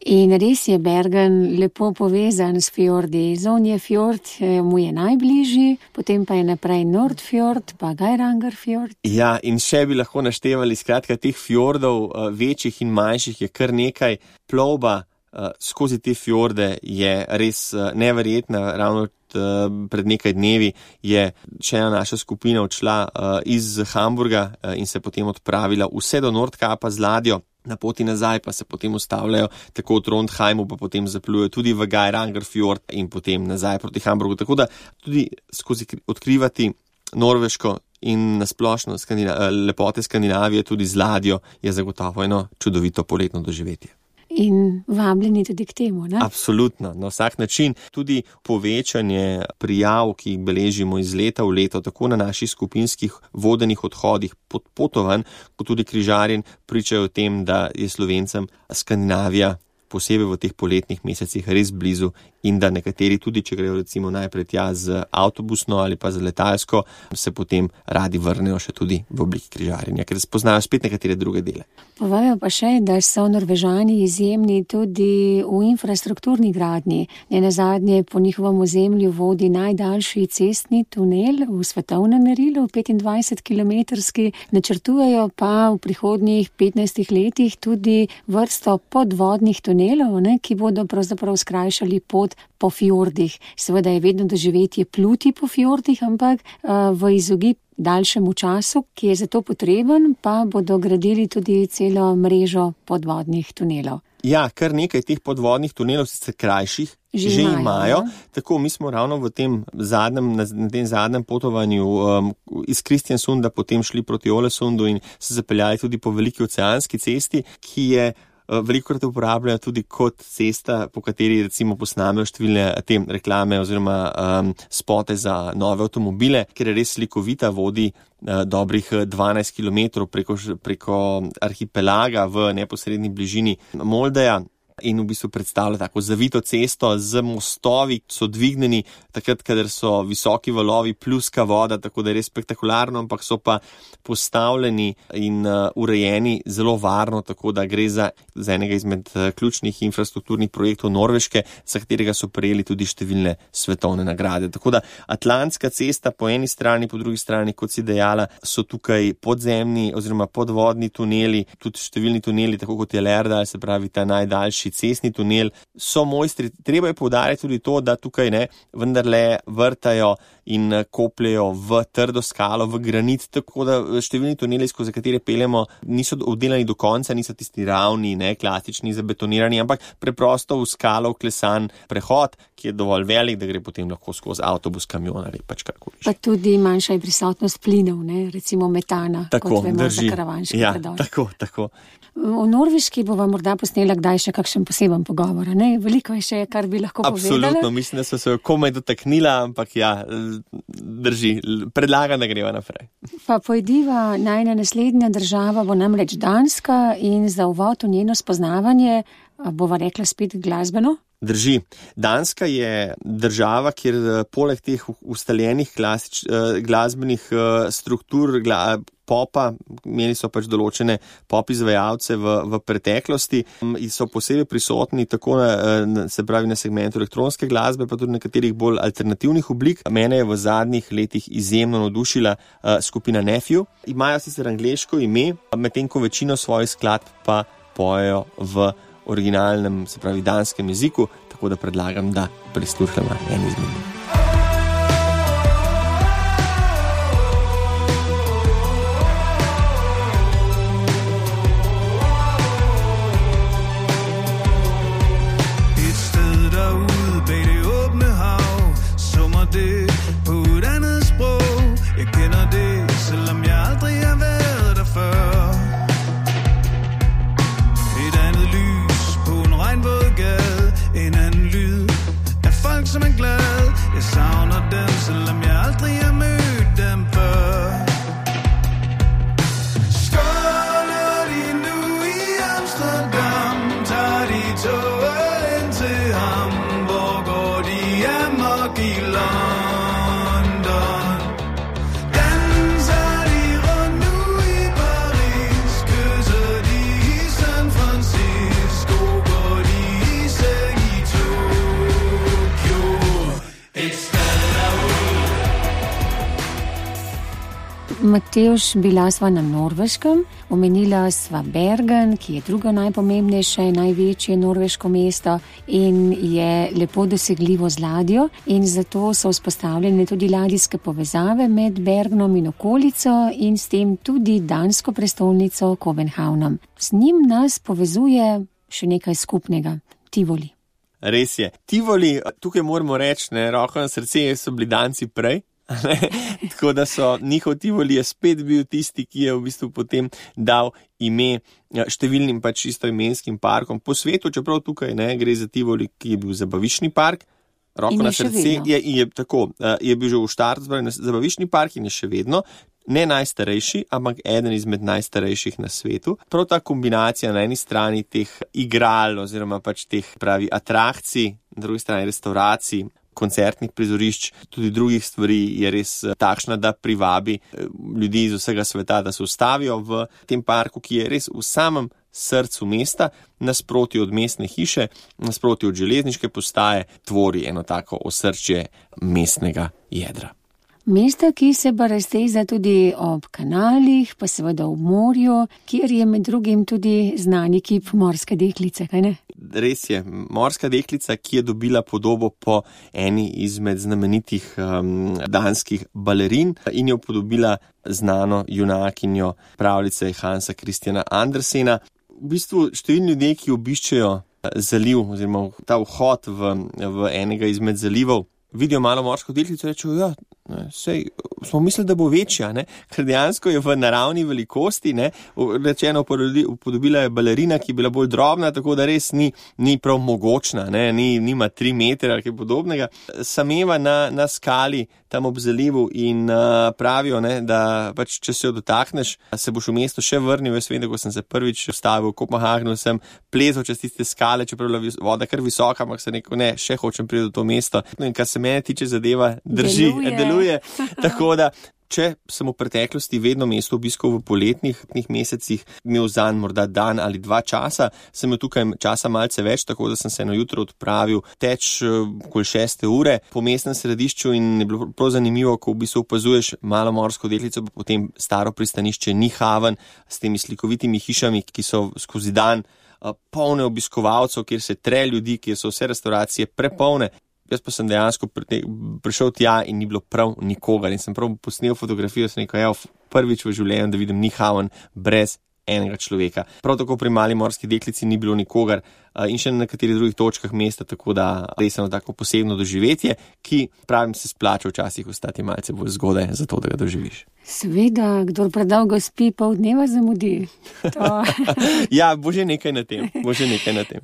S2: In res je Bergen lepo povezan s fjordi. Zonje fjord mu je najbližji, potem pa je naprej Nordfjord, pa Geirangerfjord.
S3: Ja, in še bi lahko naštevali, skratka, teh fjordov, večjih in manjših, je kar nekaj. Plovba skozi te fjorde je res neverjetna. Ravno pred nekaj dnevi je še ena naša skupina odšla iz Hamburga in se potem odpravila vse do Nordkapa z ladjo. Na poti nazaj pa se potem ustavljajo tako v Trondheimu, pa potem zaplujejo tudi v Geirangerfjord in potem nazaj proti Hamburgu. Tako da tudi skozi odkrivati Norveško in nasplošno lepote Skandinavije tudi z ladjo je zagotovo eno čudovito poletno doživetje.
S2: In vabljeni tudi k temu, ne?
S3: Absolutno, na vsak način. Tudi povečanje prijav, ki jih beležimo iz leta v leto, tako na naših skupinskih vodenih odhodih pod potovanj, kot tudi križarjenj, pričajo o tem, da je Slovencem Skandinavija posebej v teh poletnih mesecih res blizu in da nekateri tudi, če grejo recimo najprej tja z avtobusno ali pa z letalsko, se potem radi vrnejo še tudi v obliki križarjenja, ker spoznajo spet nekatere druge dele.
S2: Povajo pa še, da so Norvežani izjemni tudi v infrastrukturni gradnji. Nenazadnje po njihovem ozemlju vodi najdaljši cestni tunel v svetovnem merilu, 25-kilometrski, načrtujejo pa v prihodnjih 15 letih tudi vrsto podvodnih tunelov tunelov, ne, ki bodo pravzaprav skrajšali pot po fjordih. Seveda je vedno doživetje pluti po fjordih, ampak v izogib daljšemu času, ki je za to potreben, pa bodo gradili tudi celo mrežo podvodnih tunelov.
S3: Ja, kar nekaj teh podvodnih tunelov, sicer krajših, že imajo. Tako, mi smo ravno na tem zadnjem potovanju iz Kristiansunda potem šli proti Ålesundu in se zapeljali tudi po veliki oceanski cesti, ki je velikokrat uporabljajo tudi kot cesta, po kateri recimo posnamejo številne te reklame oziroma spote za nove avtomobile, ker je res slikovita, vodi dobrih 12 km preko arhipelaga v neposredni bližini Moldeja. In v bistvu predstavlja tako zavito cesto z mostovi, ki so dvignjeni takrat, kadar so visoki valovi, pluska voda, tako da je res spektakularno, ampak so pa postavljeni in urejeni zelo varno, tako da gre za enega izmed ključnih infrastrukturnih projektov Norveške, za katerega so prejeli tudi številne svetovne nagrade. Tako da Atlantska cesta po eni strani, po drugi strani, kot si dejala, so tukaj podzemni oziroma podvodni tuneli, tudi številni tuneli, tako kot je Lærdal, se pravi ta najdaljši cestni tunel, so mojstri. Treba je poudariti tudi to, da tukaj vendarle vrtajo in kopljejo v trdo skalo, v granit, tako da številni tuneli, skozi katere peljemo, niso obdelani do konca, niso tisti ravni, klasični, zabetonirani, ampak preprosto v skalo vklesan prehod, ki je dovolj velik, da gre potem lahko skozi avtobus, kamion ali pač karkoli.
S2: Pa tudi manjša je prisotnost plinov, recimo metana,
S3: tako,
S2: kot vemo
S3: drži.
S2: Za karavanški predor.
S3: Tako.
S2: V Norveški bova morda posnela kdaj še kakšen poseben pogovor, ne? Veliko je še, kar bi lahko povedala.
S3: Absolutno, mislim, da so se komaj dotaknila, ampak ja, drži. Predlagam, da greva naprej.
S2: Pa pojdiva, najna naslednja država bo namreč Danska in za uvod v njeno spoznavanje bova rekla spet glasbeno.
S3: Drži. Danska je država, kjer poleg teh ustaljenih glasbenih struktur popa, imeli so pač določene pop izvajalce v preteklosti in so posebej prisotni tako se pravi na segmentu elektronske glasbe, pa tudi nekaterih bolj alternativnih oblik. Mene je v zadnjih letih izjemno navdušila skupina Nephew. Imajo sicer angleško ime, medtem ko večino svojih skladb pa pojejo v originalnem, se pravi danskem jeziku, tako da predlagam, da prisluhnemo en izmed njih.
S2: Matevž, bila sva na Norveškem, omenila sva Bergen, ki je drugo najpomembnejše, največje norveško mesto in je lepo dosegljivo z ladjo in zato so vzpostavljene tudi ladijske povezave med Bergenom in okolico in s tem tudi dansko prestolnico Københavnom. Z njim nas povezuje še nekaj skupnega, Tivoli.
S3: Res je. Tivoli, tukaj moramo reči, roko na srce, so bili Danci prej. Tako da so njihov Tivoli je spet bil tisti, ki je v bistvu potem dal ime številnim pač istoimenskim parkom po svetu, čeprav tukaj gre za Tivoli, ki je bil zabaviščni park. Roko na srce je bil že v štartu zabaviščni park in je še vedno ne najstarejši, ampak eden izmed najstarejših na svetu. Prav ta kombinacija na eni strani teh igral oziroma pač teh pravi atrakcij, na drugi strani restauracij, koncertnih prizorišč, tudi drugih stvari je res takšna, da privabi ljudi iz vsega sveta, da se ustavijo v tem parku, ki je res v samem srcu mesta, nasproti od mestne hiše, nasproti od železniške postaje, tvori eno tako osrčje mestnega jedra.
S2: Mesta, ki se pa razteza tudi ob kanalih, pa seveda ob morju, kjer je med drugim tudi znani kip Morske deklice, kaj ne?
S3: res je morska deklica, ki je dobila podobo po eni izmed znamenitih danskih balerin in jo podobila znano junakinjo pravljice Hansa Christiana Andersena. V bistvu številni ljudje, ki obiščejo zaliv oziroma ta vhod v enega izmed zalivov, vidijo malo morsko deklico in rečejo, sej smo mislili, da bo večja, ne? Ker dejansko je v naravni velikosti, ne? Rečeno, upodobila je balerina, ki je bila bolj drobna, tako da res ni prav mogočna, ne? Nima 3 metre ali kaj podobnega. Sameva na skali tam ob zalivu in pravijo, ne, da pač, če se jo dotakneš, se boš v mesto še vrnil. Jaz vem, da ko sem se prvič stavil v Kopenhagnu, sem plezal čez tiste skale, čeprav je bila voda kar visoka, ampak sem rekel, ne, še hočem priti v to mesto. In kar se mene tiče, zadeva drži, deluje. Tako da, če sem v preteklosti vedno mesto obiskal v poletnih mesecih, imel zanj morda dan ali 2 časa, sem imel tukaj časa malce več, tako da sem se eno jutro odpravil teč okoli 6 ure po mestnem središču in je bilo prav zanimivo, ko v bistvu opazuješ malo morsko deklico, pa potem staro pristanišče Nyhavn s temi slikovitimi hišami, ki so skozi dan polne obiskovalcev, kjer se tre ljudi, kjer so vse restauracije prepolne. Jaz pa sem dejansko prišel tja in ni bilo prav nikogar in sem prav posnel fotografijo, sem rekel, prvič v življenju, da vidim Nyhavn brez enega človeka. Prav tako pri mali morski deklici ni bilo nikogar in še na nekaterih drugih točkah mesta, tako da res eno tako posebno doživetje, ki pravim se splača včasih ostati malce bolj zgodaj, zato da ga doživiš.
S2: Seveda, kdor predolgo spi, pol dneva zamudi.
S3: Ja, bo že nekaj na tem.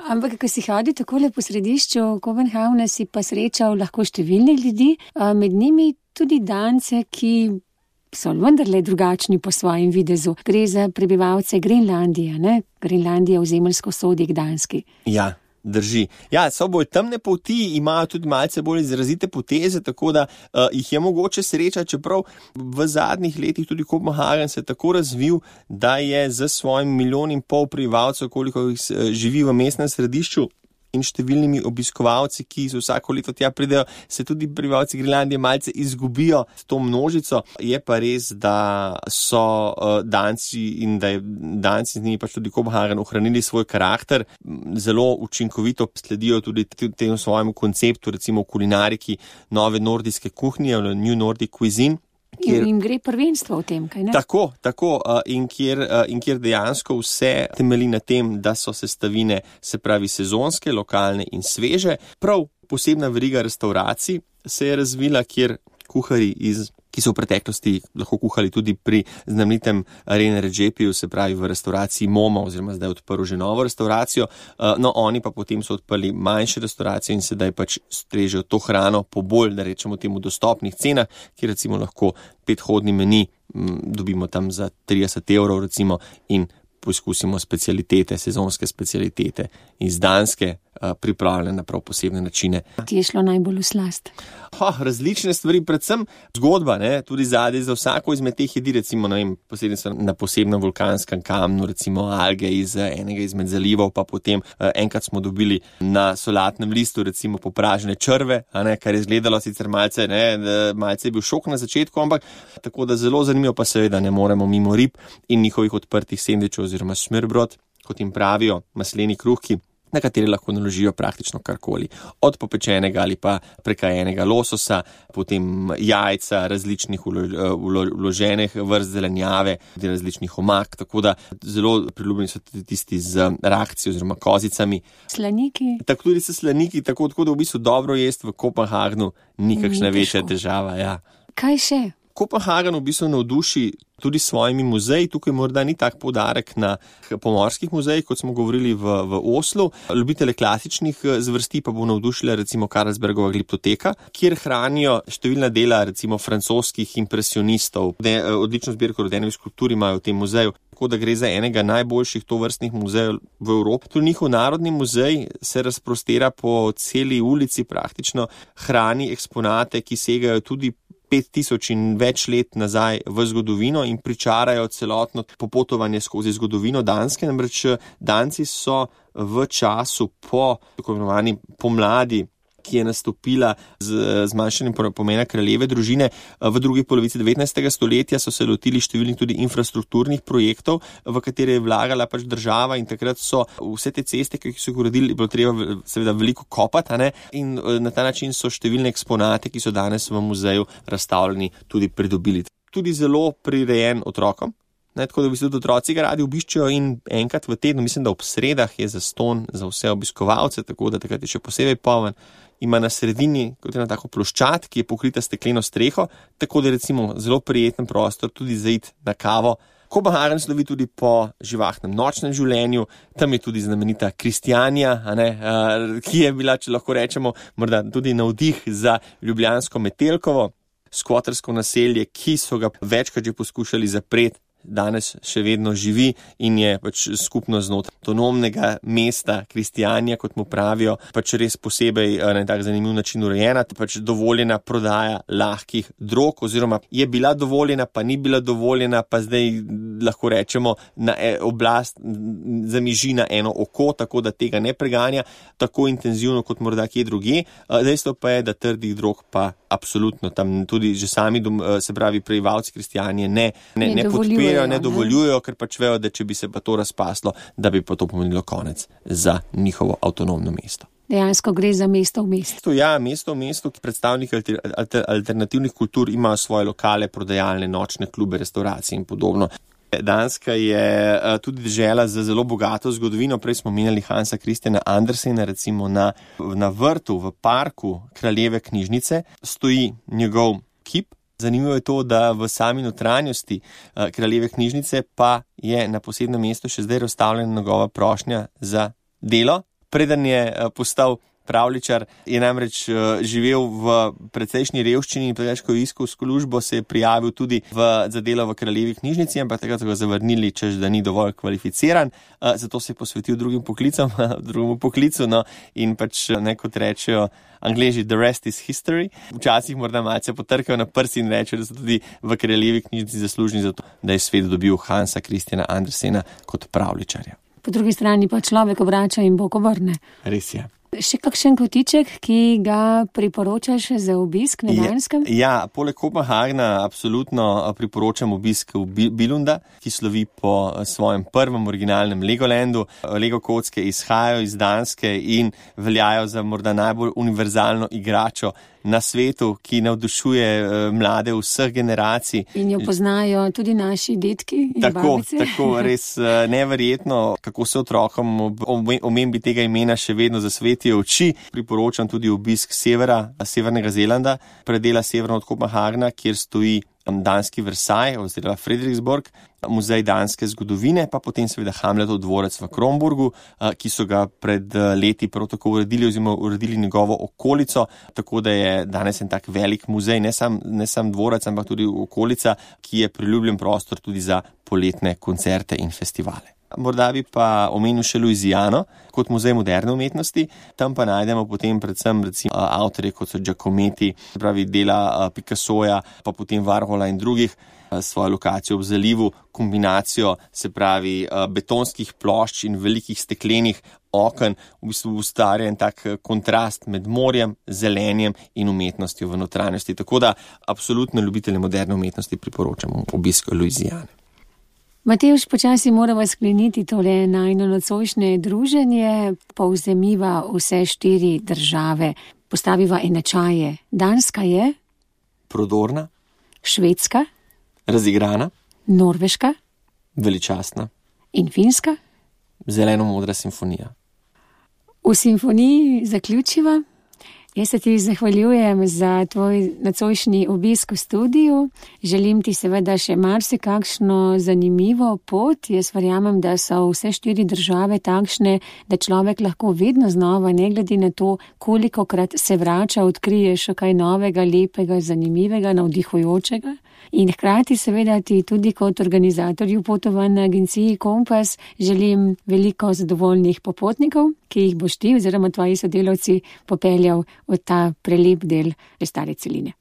S2: Ampak, ko si hodil takole po središču Kopenhavna, si pa srečal lahko številne ljudi, med njimi tudi Dance, ki so vendarle drugačni po svojem videzu. Gre za prebivalce Grenlandije, ne? Grenlandija v zemeljsko sodi k Danski.
S3: Ja. Drži. Ja, so bolj temne poti, imajo tudi malce bolj izrazite poteze, tako da jih je mogoče srečati, čeprav v zadnjih letih tudi Kopenhagen se je tako razvil, da je z svojim 1,5 milijona prebivalcev, koliko jih živi v mestnem središču, in številnimi obiskovalci, ki so vsako leto tja pridejo, se tudi prebivalci Grenlandije malce izgubijo s to množico. Je pa res, da so Danci in da je Danci z njimi pač tudi Kopenhagen ohranili svoj karakter, zelo učinkovito sledijo tudi temu svojemu konceptu, recimo v kulinariki nove nordijske kuhnje, New Nordic Cuisine.
S2: In jim gre prvenstvo v tem, kaj ne?
S3: Tako, in kjer dejansko vse temelji na tem, da so sestavine, se pravi sezonske, lokalne in sveže. Prav posebna veriga restauracij se je razvila, kjer kuharji ki so v preteklosti lahko kuhali tudi pri znamenitem Rene Redzepiu, se pravi v restauraciji Momo, oziroma zdaj odprl že novo restauracijo, no oni pa potem so odprli manjše restauracije in sedaj pač strežejo to hrano po bolj, da rečemo temu, dostopnih cenah, kjer recimo lahko 5-hodni meni dobimo tam za 30 € recimo in poizkusimo specialitete, sezonske specialitete iz Danske, pripravljene na prav posebne načine.
S2: Ti je šlo najbolj v slast?
S3: Različne stvari, predvsem zgodba, ne, tudi zadaj za vsako izmed teh jedi, recimo, ne vem, na posebnem vulkanskem kamnu, recimo alge iz enega izmed zalivov, pa potem enkrat smo dobili na solatnem listu, recimo, popražene črve, kar je izgledalo sicer malce je bil šok na začetku, ampak tako da zelo zanimivo, pa seveda ne moremo mimo rib in njihovih odprtih sendvičev oziroma smørbrød, kot jim pravijo, masleni kruhki, na kateri lahko naložijo praktično karkoli. Od popečenega ali pa prekajenega lososa, potem jajca, različnih vloženih vrst zelenjave, različnih omak, tako da zelo priljubljeni so tisti z rakci oziroma kozicami.
S2: Slaniki.
S3: Tako tudi so slaniki, tako da v bistvu dobro jest v Kopenhagnu ni kakšna večja težava. Ja.
S2: Kaj še?
S3: Kopenhagen v bistvu navduši tudi s svojimi muzeji. Tukaj morda ni tak poudarek na pomorskih muzejih, kot smo govorili v Oslu. Ljubitele klasičnih zvrsti pa bo navdušila recimo Carlsbergova gliptoteka, kjer hranijo številna dela recimo francoskih impresionistov. Odlično zbirko rodenevih skulptur imajo v tem muzeju. Tako da gre za enega najboljših tovrstnih muzejev v Evropi. Tudi njihov narodni muzej se razprostira po celi ulici praktično, hrani eksponate, ki segajo tudi 5000 in več let nazaj v zgodovino in pričarajo celotno popotovanje skozi zgodovino Danske. Namreč Danci so v času po tako imenovani pomladi ki je nastopila z zmanjšanjem pomena kraljeve družine. V drugi polovici 19. stoletja so se lotili številnih tudi infrastrukturnih projektov, v katere je vlagala pač država, in takrat so vse te ceste, ki so jih uredili, bilo treba seveda veliko kopati, in na ta način so številne eksponate, ki so danes v muzeju razstavljeni, tudi pridobili. Tudi zelo prirejen otrokom. Tako da v bistvu tudi otroci ga radi obiščejo in enkrat v tednu, mislim, da ob sredah je zastonj za vse obiskovalce, tako da takrat je še posebej poln. Ima na sredini kot ena tako ploščad, ki je pokrita stekleno streho, tako da je recimo zelo prijeten prostor tudi za iti na kavo. Kopenhagen slovi tudi po živahnem nočnem življenju, tam je tudi znamenita Kristijanija, ki je bila, če lahko rečemo, morda tudi navdih za ljubljansko Metelkovo, skvotersko naselje, ki so ga večkrat že poskušali zapreti. Danes še vedno živi in je pač skupno znotraj avtonomnega mesta Kristijanija, kot mu pravijo, pač res posebej na tak zanimiv način urejena, pač dovoljena prodaja lahkih drog, oziroma je bila dovoljena, pa ni bila dovoljena, pa zdaj lahko rečemo, na oblast zamiži na eno oko, tako da tega ne preganja tako intenzivno kot morda kje drugje. Dejstvo pa je, da trdih drog pa absolutno tam tudi že sami, se pravi, prebivalci Kristijanije ne podpirajo, ne dovoljujejo, ker pač vejo, da če bi se pa to razpaslo, da bi pa to pomenilo konec za njihovo avtonomno mesto.
S2: Dejansko gre za mesto v mestu.
S3: Ja, mesto v mestu, ki predstavniki alternativnih kultur imajo svoje lokale, prodajalne, nočne klube, restauracije in podobno. Danska je tudi dežela z zelo bogato zgodovino. Prej smo menjali Hansa Christiana Andersena, recimo na vrtu, v parku Kraljeve knjižnice stoji njegov kip. Zanimivo je to, da v sami notranjosti Kraljeve knjižnice pa je na posebnem mestu še zdaj razstavljena njegova prošnja za delo. Preden je postal pravljičar, je namreč živel v precejšnji revščini in ko je iskal službo, se je prijavil tudi za delo v Kraljevi knjižnici, ampak takrat so ga zavrnili, češ da ni dovolj kvalificiran, zato se je posvetil drugim poklicu, in pač kot rečejo Angleži, the rest is history. Včasih morda malce potrkajo na prsi in rečejo, da so tudi v Kraljevi knjižnici zaslužni za to, da je svet dobil Hansa Christiana Andersena kot pravljičarja.
S2: Po drugi strani pa človek obrača in Bog obrne.
S3: Res je.
S2: Še kakšen kotiček, ki ga priporočaš za obisk na Danskem?
S3: Ja, poleg Kopenhagna absolutno priporočam obisk v Billunda, ki slovi po svojem prvem originalnem Legolandu. Lego kocke izhajajo iz Danske in veljajo za morda najbolj univerzalno igračo na svetu, ki navdušuje mlade vseh generacij.
S2: In jo poznajo tudi naši detki in babice.
S3: Tako, res neverjetno, kako se otrokom omembi tega imena še vedno zasvetijo oči. Priporočam tudi obisk severnega Zelanda, predela severno od Kopenhagna, kjer stoji danski Versailles oziroma Frederiksborg, muzej danske zgodovine, pa potem seveda Hamletov dvorec v Kronborgu, ki so ga pred leti prav tako uredili njegovo okolico, tako da je danes en tak velik muzej, ne sam dvorec, ampak tudi okolica, ki je priljubljen prostor tudi za poletne koncerte in festivale. Morda bi pa omenil še Louisiano kot muzej moderne umetnosti. Tam pa najdemo potem predvsem recimo avtorje, kot so Giacometti, pravi dela Picassoja, pa potem Warhola in drugih, svojo lokacijo ob zalivu, kombinacijo, se pravi betonskih plošč in velikih steklenih oken, v bistvu ustvarja en tak kontrast med morjem, zelenjem in umetnostjo v notranjosti. Tako da absolutno ljubitelje moderne umetnosti priporočamo obisk Louisiane.
S2: Matevž, počasi moramo skleniti tole najino nocojšnje druženje, povzemiva vse 4 države, postaviva enačaje. Danska je?
S3: Prodorna.
S2: Švedska?
S3: Razigrana.
S2: Norveška?
S3: Veličastna.
S2: In Finska?
S3: Zeleno-modra simfonija.
S2: V simfoniji zaključiva. Jaz se ti zahvaljujem za tvoj nocojšnji obisk v studiu. Želim ti seveda še marsikakšno zanimivo pot. Jaz verjamem, da so vse 4 države takšne, da človek lahko vedno znova, ne glede na to, kolikokrat se vrača, odkrije še kaj novega, lepega, zanimivega, navdihujočega. In hkrati seveda ti tudi kot organizatorju potovanj na agenciji Kompas želim veliko zadovoljnih popotnikov, ki jih boš ti oziroma tvoji sodelavci popeljal v ta prelep del stare celine.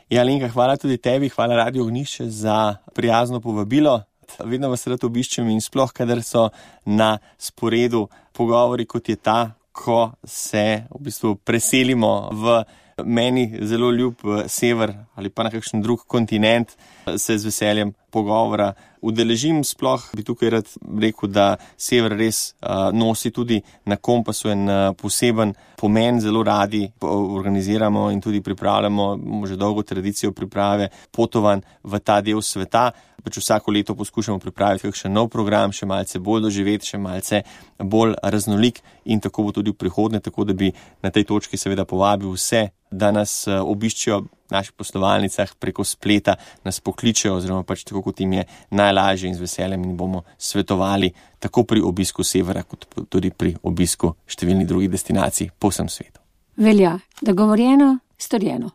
S3: Ja, Lenka, hvala tudi tebi, hvala Radio Ognjišče za prijazno povabilo. Vedno vas rad obiščem in sploh, kadar so na sporedu pogovori, kot je ta, ko se v bistvu preselimo v meni zelo ljub sever ali pa na kakšen drug kontinent, se z veseljem pogovora udeležim. Sploh bi tukaj rad rekel, da sever res nosi tudi na kompasu en poseben pomen. Zelo radi organiziramo in tudi pripravljamo že dolgo tradicijo priprave potovanj v ta del sveta. Vsako leto poskušamo pripraviti kakšen nov program, še malce bolj doživet, še malce bolj raznolik in tako bo tudi v prihodnje, tako da bi na tej točki seveda povabil vse, da nas obiščejo v naših poslovalnicah preko spleta, nas pokličejo oziroma tako, kot jim je najlažje, in z veseljem in bomo svetovali tako pri obisku severa, kot tudi pri obisku številnih drugih destinacij po vsem svetu.
S2: Velja, dogovorjeno, storjeno.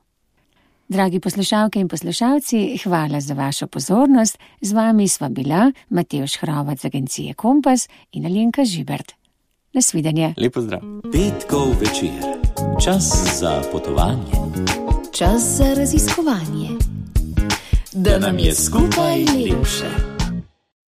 S2: Dragi poslušalke in poslušalci, hvala za vašo pozornost. Z vami sva bila Matevž Hrovat z agencije Kompas in Alenka Žibert. Nasvidenje.
S3: Lepo zdrav.
S1: Petkov večer. Čas za potovanje.
S4: Čas za raziskovanje.
S1: Da nam je skupaj lepše.